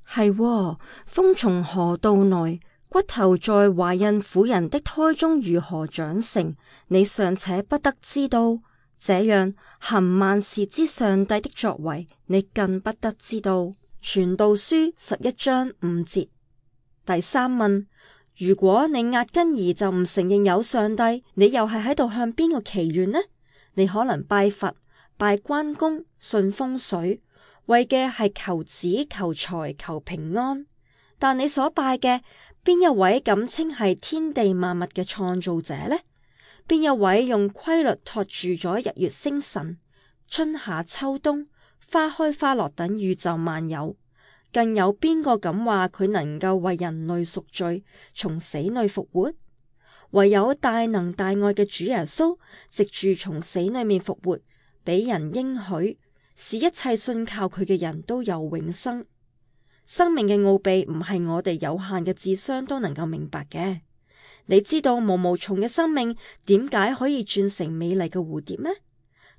係喎，風從何道來？骨頭在懷孕婦人的胎中如何長成？你尚且不得知道，這樣行萬事之上帝的作為，你更不得知道。傳道書11章5節。第三問：如果你壓根兒就唔承認有上帝，你又係喺度向邊個祈願呢？你可能拜佛、拜關公、信風水，為嘅係求子、求財、求平安。但你所拜嘅邊一位敢稱係天地萬物嘅創造者呢？邊一位用規律托住咗日月星辰、春夏秋冬、花開花落等宇宙萬有？更有邊個敢話佢能夠為人類贖罪，從死裏復活？唯有大能大愛嘅主耶穌，藉住從死裏面復活，俾人應許，使一切信靠佢嘅人都有永生。生命嘅奧秘唔係我哋有限嘅智商都能夠明白嘅。你知道毛毛蟲嘅生命點解可以轉成美麗嘅蝴蝶咩？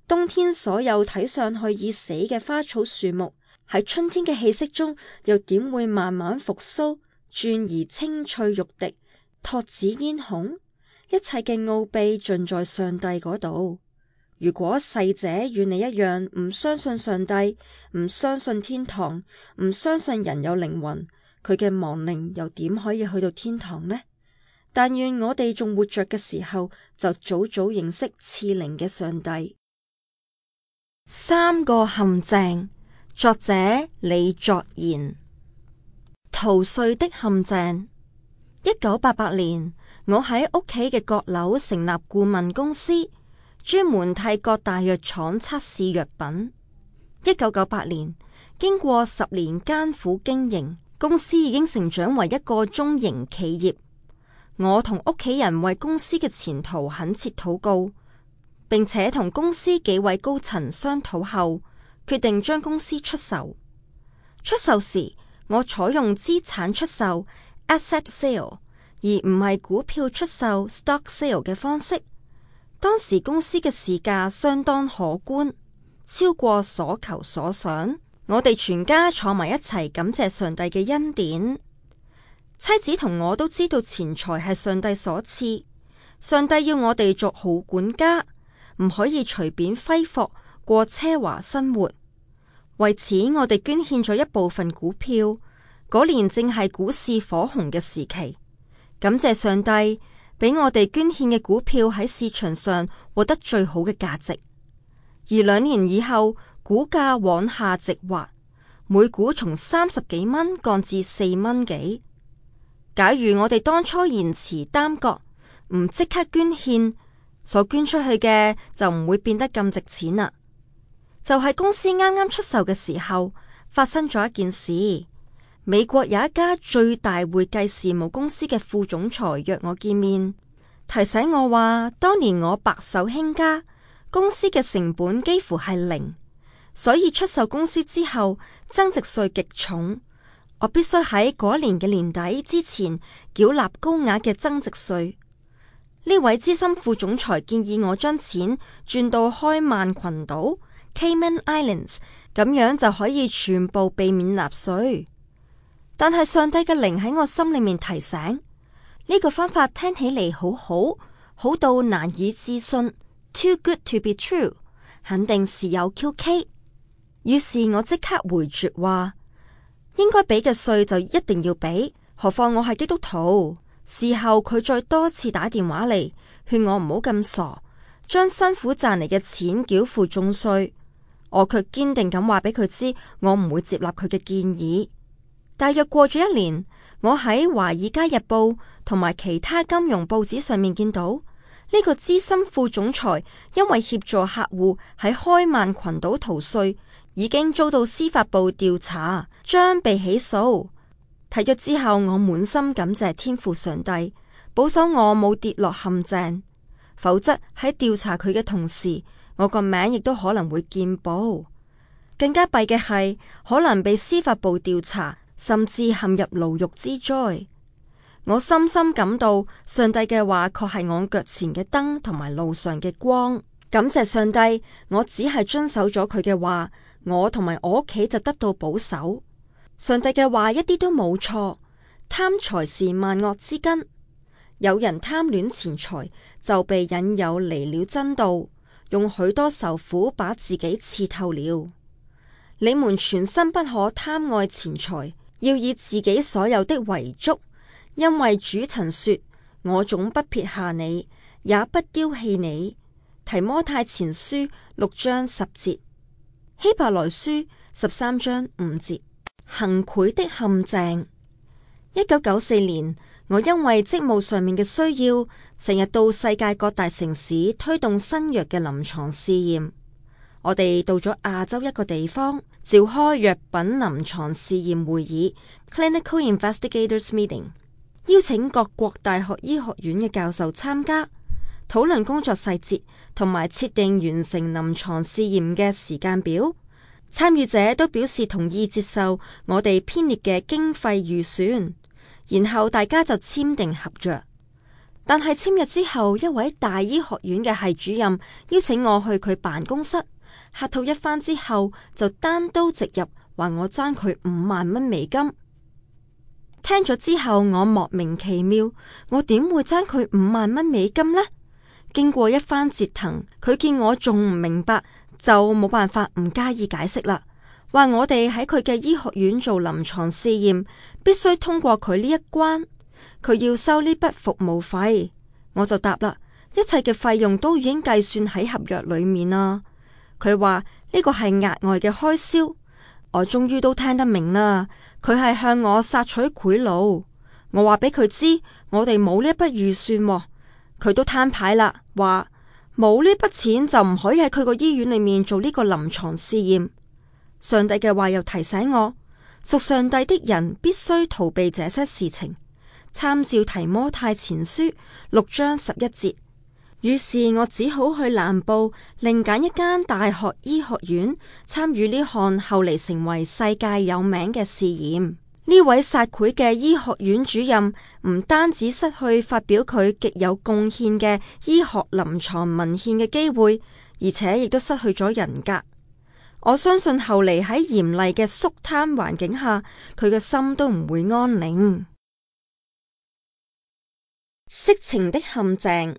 冬天所有睇上去已死嘅花草樹木，喺春天嘅氣息中又點會慢慢復甦，轉而青翠欲滴，托子嫣紅？一切嘅奧秘盡在上帝嗰度。如果逝者與你一樣唔相信上帝，唔相信天堂，唔相信人有靈魂，佢嘅亡靈又點可以去到天堂呢？但願我哋仲活着嘅時候，就早早認識賜靈嘅上帝。三個陷阱，作者李作賢。逃稅的陷阱。1988年，我喺屋企嘅閣樓成立顧問公司，專門替各大藥廠測試藥品。1998年，經過10年艱苦經營，公司已經成長為一個中型企業。我同屋企人為公司嘅前途懇切禱告，並且同公司幾位高層商討後，決定將公司出售。出售時，我採用資產出售 （asset sale） 而唔係股票出售 （stock sale） 嘅方式。當時公司嘅市價相當可觀，超過所求所想。我哋全家坐埋一齊感謝上帝嘅恩典。妻子同我都知道錢財係上帝所賜，上帝要我哋做好管家，唔可以隨便揮霍過奢華生活。為此，我哋捐獻咗一部分股票。嗰年正係股市火紅嘅時期，感謝上帝俾我哋捐獻嘅股票喺市場上獲得最好嘅價值。而2年以後，股價往下直滑，每股從30幾蚊降至4蚊幾。假如我哋當初延遲耽擱，唔即刻捐獻，所捐出去嘅就唔會變得咁值錢啦。就係公司啱啱出售嘅時候，發生咗一件事。美國有一家最大會計事務公司嘅副總裁約我見面，提醒我話，當年我白手興家，公司嘅成本幾乎係0，所以出售公司之後，增值稅極重。我必須喺嗰年嘅年底之前繳納高額嘅增值稅。呢位資深副總裁建議我將錢轉到開曼群島 （Cayman Islands），咁樣就可以全部避免納稅。但係上帝嘅靈喺我心裏面提醒，呢個方法聽起嚟好到難以置信 ，too good to be true， 肯定是有 QK。於是我即刻回絕話，應該俾嘅稅就一定要俾，何況我係基督徒。事後佢再多次打電話嚟，勸我唔好咁傻，將辛苦賺嚟嘅錢繳付重稅。我卻堅定咁話俾佢知，我唔會接納佢嘅建議。大約過咗1年，我喺《華爾街日報》同埋其他金融報紙上面見到呢個資深副總裁因為協助客戶喺開曼群島逃稅，已經遭到司法部調查，將被起訴。睇咗之後，我滿心感謝天父上帝，保守我冇跌落陷阱，否則喺調查佢嘅同時，我個名亦都可能會見報。更加弊嘅係，可能被司法部調查，甚至陷入牢獄之災。我深深感到上帝嘅話確係我腳前嘅燈同埋路上嘅光。感謝上帝，我只係遵守咗佢嘅話，我同埋我屋企就得到保守。上帝嘅話一啲都冇錯，貪財是萬惡之根。有人貪戀錢財，就被引誘離了真道，用許多愁苦把自己刺透了。你們全身不可貪愛錢財，要以自己所有的為足，因為主曾說：我總不撇下你，也不丟棄你。提摩太前書6章10節，希伯來書13章5節。行賄的陷阱。1994年，我因為職務上面嘅需要，成日到世界各大城市推動新藥嘅臨床試驗。我哋到咗亞洲一個地方，召開藥品臨床試驗會議 （Clinical Investigators Meeting），邀請各國大學醫學院嘅教授參加，討論工作細節同埋設定完成臨床試驗嘅時間表。參與者都表示同意接受我哋編列嘅經費預算，然後大家就簽訂合約。但係簽約之後，一位大醫學院嘅系主任邀請我去佢辦公室，客套一番之後，就單刀直入話我爭佢5萬蚊美金。聽咗之後，我莫名其妙，我點會爭佢$50,000呢？經過一番折騰，佢見我仲唔明白，就冇辦法唔加以解釋啦。話我哋喺佢嘅醫學院做臨床試驗，必須通過佢呢一關，佢要收呢筆服務費。我就答啦，一切嘅費用都已經計算喺合約裏面啦。佢話呢個係額外嘅開銷。我終於都聽得明啦，佢係向我索取賄賂。我話俾佢知，我哋冇呢一筆預算喎。佢都攤牌啦，話冇呢筆錢就唔可以喺佢個醫院裏面做呢個臨床試驗。上帝嘅話又提醒我，屬上帝的人必須逃避這些事情，參照提摩太前書6章11節。於是我只好去南部另揀一間大學醫學院，參與呢項後嚟成為世界有名嘅試驗。呢位撒賄嘅醫學院主任唔單止失去發表佢極有貢獻嘅醫學臨床文獻嘅機會，而且亦都失去咗人格。我相信後嚟喺嚴厲嘅肅貪環境下，佢嘅心都唔會安寧。色情的陷阱。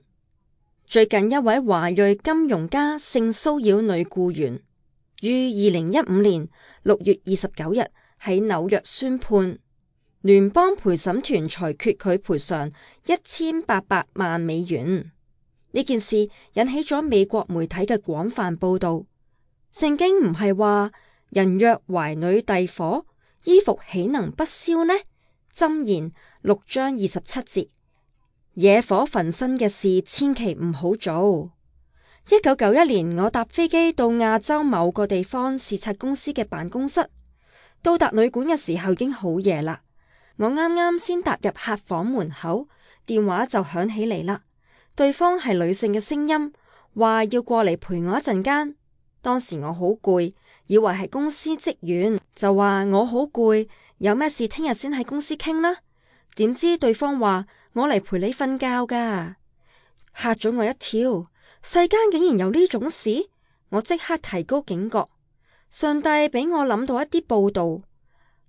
最近一位華裔金融家性騷擾女僱員，於2015年6月29日喺紐約宣判，聯邦陪審團裁決佢賠償$1800萬。呢件事引起咗美國媒體嘅廣泛報道。聖經唔係話人若懷女弟火，衣服豈能不燒呢？箴言6章27節。野火焚身嘅事千祈唔好做。1991年，我搭飛機到亞洲某個地方視察公司嘅辦公室，到達旅館嘅時候已經好夜啦。我啱啱先踏入客房門口，電話就響起嚟啦。對方係女性嘅聲音，話要過嚟陪我一陣間。當時我好攰，以為係公司職員，就話我好攰，有咩事聽日先喺公司傾啦。點知對方話我嚟陪你瞓覺噶，嚇咗我一跳。世間竟然有呢種事，我即刻提高警覺。上帝俾我諗到一啲報道，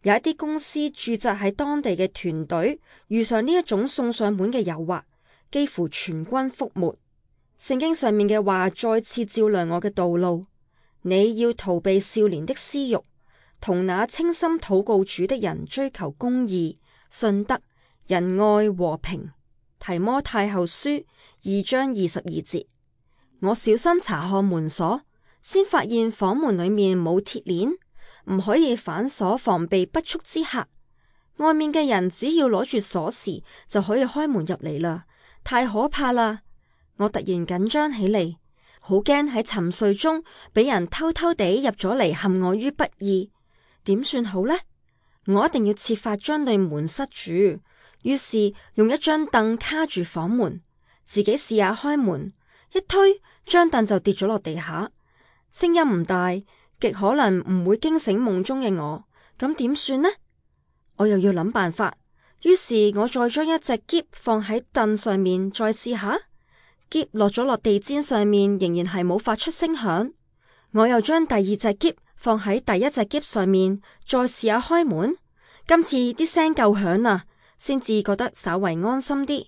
有一啲公司駐紮喺當地嘅團隊遇上呢一種送上門嘅誘惑，幾乎全軍覆沒。聖經上面嘅話再次照亮我嘅道路，你要逃避少年的私欲，同那清心禱告主的人追求公義、信德、仁愛、和平。提摩太後書2章22節。我小心查看門鎖，先發現房門裏面冇鐵鏈，唔可以反鎖，防備不速之客。外面嘅人只要攞住鎖匙就可以開門入嚟啦，太可怕啦！我突然緊張起嚟，好驚喺沉睡中俾人偷偷地入咗嚟陷我於不義。點算好呢？我一定要設法將對門塞住。於是用一張凳卡住房門，自己試下開門，一推張凳就跌咗落地下。聲音唔大，極可能唔會驚醒夢中嘅我。咁點算呢？我又要諗辦法。於是我再將一隻篋放喺凳上面，再試下。篋落咗落地氈上面，仍然係冇發出聲響。我又將第二隻篋放喺第一隻篋上面，再試下開門。今次啲聲夠響啦，先至覺得稍為安心啲。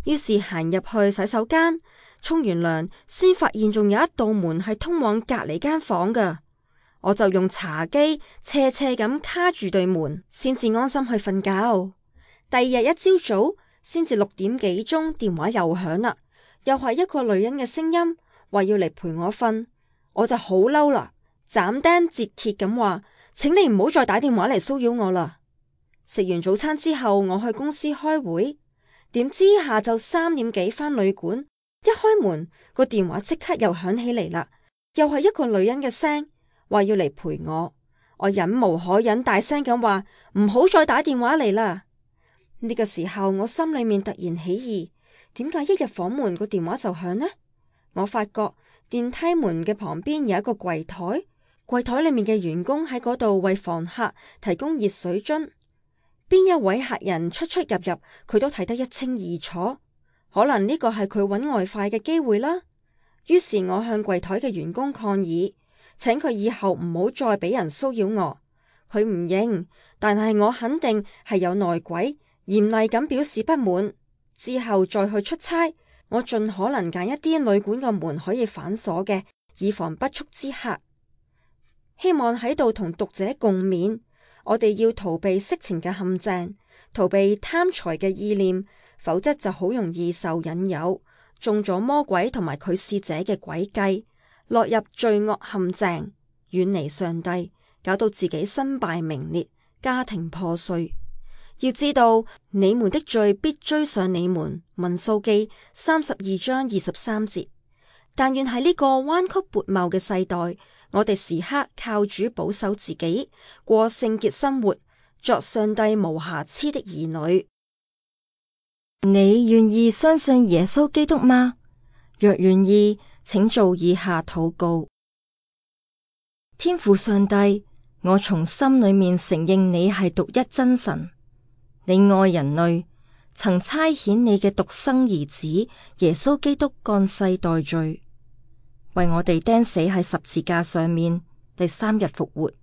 於是行入去洗手間，沖完涼，先發現仲有一道門係通往隔籬間房㗎。我就用茶几斜斜咁卡住對門，先至安心去瞓覺。第二日一朝早，先至6點幾鐘，電話又響啦，又係一個女人嘅聲音，話要嚟陪我瞓。我就好嬲啦，斬釘截鐵咁話，請你唔好再打電話嚟騷擾我啦。食完早餐之後，我去公司開會，點知下晝3點幾返旅館，一開門個電話即刻又響起嚟啦，又係一個女人嘅聲，話要嚟陪我。我忍無可忍，大聲咁話唔好再打電話嚟啦。呢個時候我心裏面突然起疑，點解一入房門個電話就響呢？我發覺電梯門嘅旁邊有一個櫃台，櫃台裏面嘅員工喺嗰度為房客提供熱水樽。邊一位客人出出入入，佢都睇得一清二楚。可能呢個係佢揾外快嘅機會啦。於是我向櫃台嘅員工抗議，請佢以後唔好再俾人騷擾我。佢唔認，但係我肯定係有內鬼，嚴厲咁表示不滿。之後再去出差，我盡可能揀一啲旅館嘅門可以反鎖嘅，以防不速之客。希望喺度同讀者共勉，我哋要逃避色情嘅陷阱，逃避貪財嘅意念，否則就好容易受引誘，中咗魔鬼同埋佢使者嘅詭計，落入罪惡陷阱，遠離上帝，搞到自己身敗名裂，家庭破碎。要知道，你們的罪必追上你們。民數記32章23節。但願喺呢個彎曲悖謬嘅世代，我哋時刻靠主保守自己，過聖潔生活，作上帝無瑕疵的兒女。你願意相信耶穌基督嗎？若願意，請做以下禱告：天父上帝，我從心裏面承認你係獨一真神。你愛人類，曾差遣你嘅獨生兒子耶穌基督降世代罪，為我哋釘死喺十字架上面，第3日復活，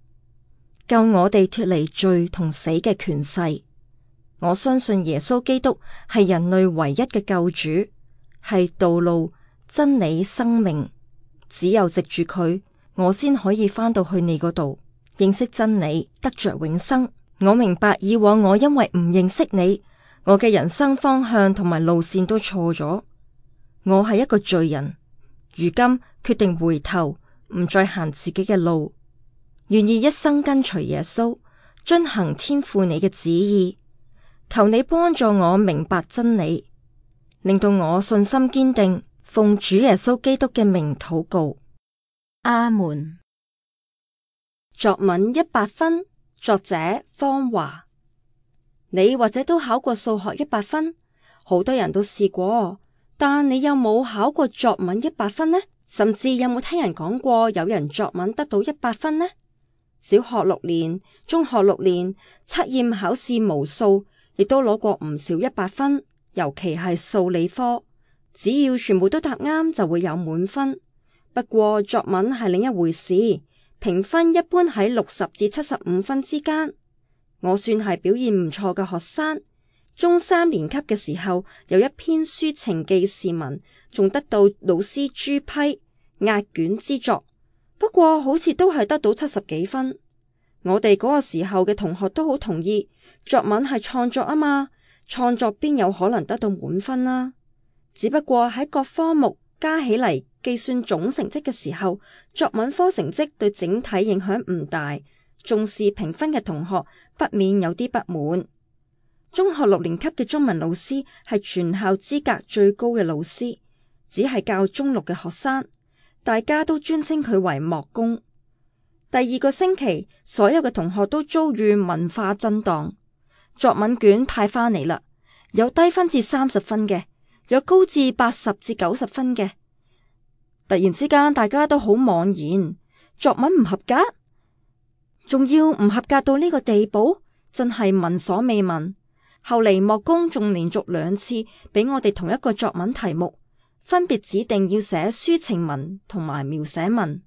救我哋脫離罪同死嘅權勢。我相信耶穌基督係人類唯一嘅救主，係道路、真理、生命。只有藉住佢，我先可以返到去你嗰度，認識真理，得着永生。我明白以往我因為唔認識你，我嘅人生方向同埋路線都錯咗。我係一個罪人，如今決定回頭，唔再行自己嘅路，願意一生跟隨耶穌，遵行天父你嘅旨意。求你幫助我明白真理，令到我信心堅定，奉主耶穌基督嘅名禱告。阿門。作文100分。作者方華。你或者都考過數學100分，好多人都試過，但你有冇考過作文100分呢？甚至有冇聽人講過有人作文得到100分呢？小學6年、中學6年，測驗考試無數，亦都攞過唔少100分，尤其係數理科，只要全部都答啱就會有滿分。不過作文係另一回事。評分一般喺60至75分之間，我算係表現唔錯嘅學生。中3年級嘅時候，有一篇抒情記事文，仲得到老師朱批壓卷之作。不過好似都係得到70幾分。我哋嗰個時候嘅同學都好同意，作文係創作啊嘛，創作邊有可能得到滿分啊？只不過喺各科目加起嚟計算總成績嘅時候，作文科成績對整體影響唔大，重視評分嘅同學不免有啲不滿。中學6年級嘅中文老師係全校資格最高嘅老師，只係教中6嘅學生，大家都尊稱佢為莫公。第2個星期，所有嘅同學都遭遇文化震盪，作文卷派返嚟啦，有低分至30分嘅，有高至80至90分嘅。突然之間，大家都好茫然，作文唔合格，仲要唔合格到呢個地步，真係聞所未聞。後嚟莫公仲連續2次俾我哋同一個作文題目，分別指定要寫抒情文同埋描寫文。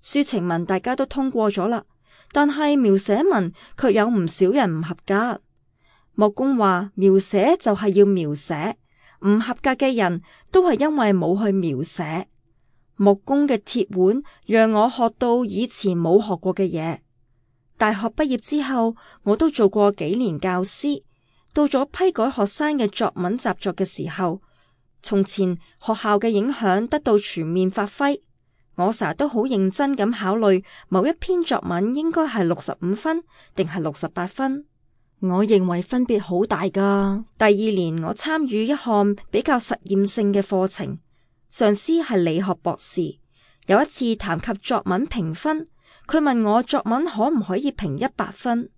抒情文大家都通過咗啦，但係描寫文卻有唔少人唔合格。莫公話描寫就係要描寫，唔合格嘅人都係因為冇去描寫。木工嘅鐵腕讓我學到以前冇學過嘅嘢。大學畢業之後，我都做過幾年教師。到咗批改學生嘅作文習作嘅時候，從前學校嘅影響得到全面發揮。我成日都好認真咁考慮某一篇作文應該係65分定係68分。我認為分別好大㗎。第2年我參與一項比較實驗性嘅課程。上司係理學博士，有一次談及作文評分，佢問我作文可唔可以評100分？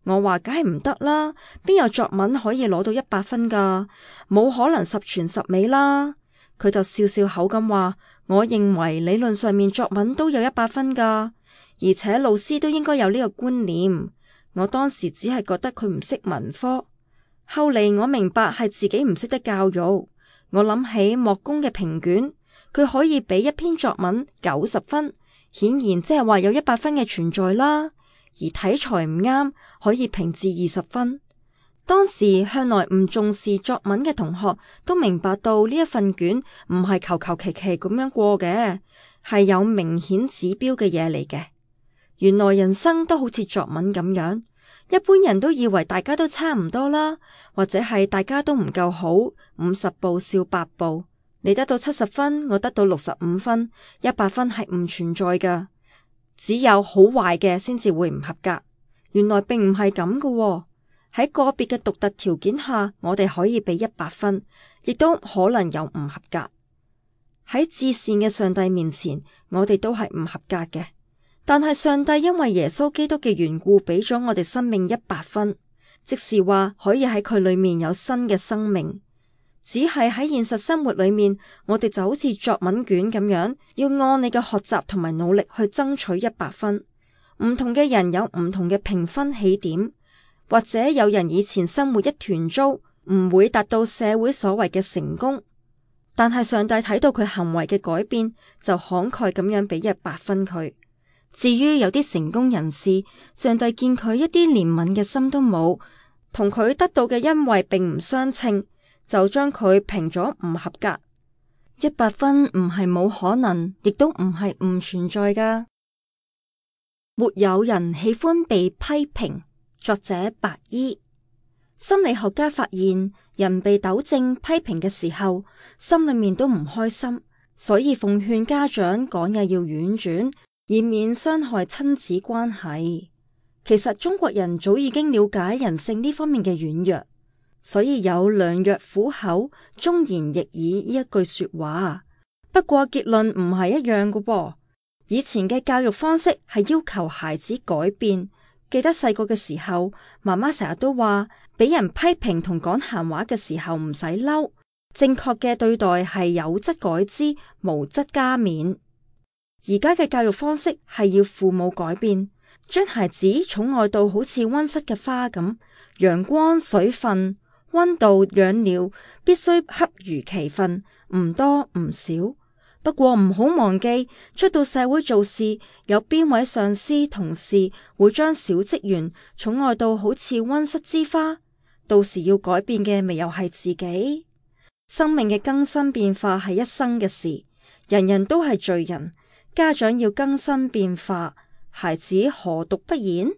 我話梗係唔得啦，邊有作文可以攞到100分噶？冇可能十全十美啦。佢就笑笑口咁話，我認為理論上面作文都有100分噶，而且老師都應該有呢個觀念。我當時只係覺得佢唔識文科，後嚟我明白係自己唔識得教育。我諗起莫公嘅評卷，佢可以俾一篇作文90分，顯然即係話有100分嘅存在啦。而體裁唔啱，可以評至20分。當時向來唔重視作文嘅同學都明白到呢一份卷唔係求求其其咁樣過嘅，係有明顯指標嘅嘢嚟嘅。原來人生都好似作文咁樣，一般人都以為大家都差唔多啦，或者係大家都唔夠好，50步笑百步，你得到70分，我得到65分，100分係唔存在噶，只有好壞嘅先至會唔合格。原來並唔係咁噶喎。喺個別嘅獨特條件下，我哋可以俾100分，亦都可能有唔合格。喺至善嘅上帝面前，我哋都係唔合格嘅。但係上帝因為耶穌基督嘅緣故，俾咗我哋生命100分，即是話可以喺佢裏面有新嘅生命。只係喺現實生活裏面，我哋就好似作文卷咁樣，要按你嘅學習同埋努力去爭取100分。唔同嘅人有唔同嘅評分起點。或者有人以前生活一團糟，唔會達到社會所謂嘅成功，但係上帝睇到佢行為嘅改變，就慷慨咁樣俾100分佢。至於有啲成功人士，上帝見佢一啲憐憫嘅心都冇，同佢得到嘅恩惠並唔相稱，就將佢評咗唔合格。100分唔係冇可能，亦都唔係唔存在噶。沒有人喜歡被批評。作者白衣。心理學家發現，人被糾正批評嘅時候，心裏面都唔開心，所以奉勸家長講嘢要婉轉，以免傷害親子關係。其實中國人早已經了解人性呢方面嘅軟弱，所以有良藥苦口，忠言逆耳呢一句說話。不過結論唔係一樣㗎噃。以前嘅教育方式係要求孩子改變。記得細個嘅時候，媽媽成日都話，俾人批評同講閒話嘅時候唔使嬲，正確嘅對待係有則改之，無則加勉。而家嘅教育方式係要父母改變，將孩子寵愛到好似溫室嘅花咁，陽光、水分、溫度、養料必須恰如其分，唔多唔少。不過唔好忘記，出到社會做事，有邊位上司同事會將小職員寵愛到好似溫室之花？到時要改變嘅咪又係自己。生命嘅更新變化係一生嘅事，人人都係罪人，家長要更新變化，孩子何獨不然？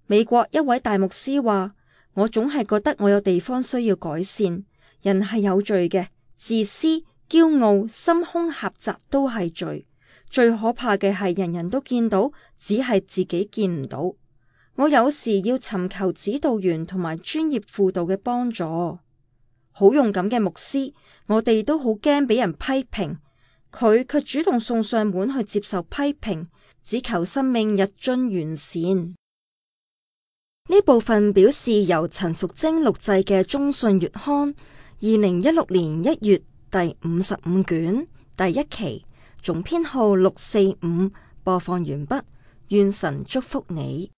美國一位大牧師話：我總係覺得我有地方需要改善。人係有罪嘅，自私、驕傲、心胸狹窄都係罪。最可怕嘅係人人都見到，只係自己見唔到。我有時要尋求指導員同埋專業輔導嘅幫助。好勇敢嘅牧師，我哋都好驚俾人批評，佢卻主動送上門去接受批評，只求生命日臻完善。呢部分表示由陳淑貞錄製嘅中信月刊2016年1月第55卷第1期，總編號645，播放完畢。願神祝福你。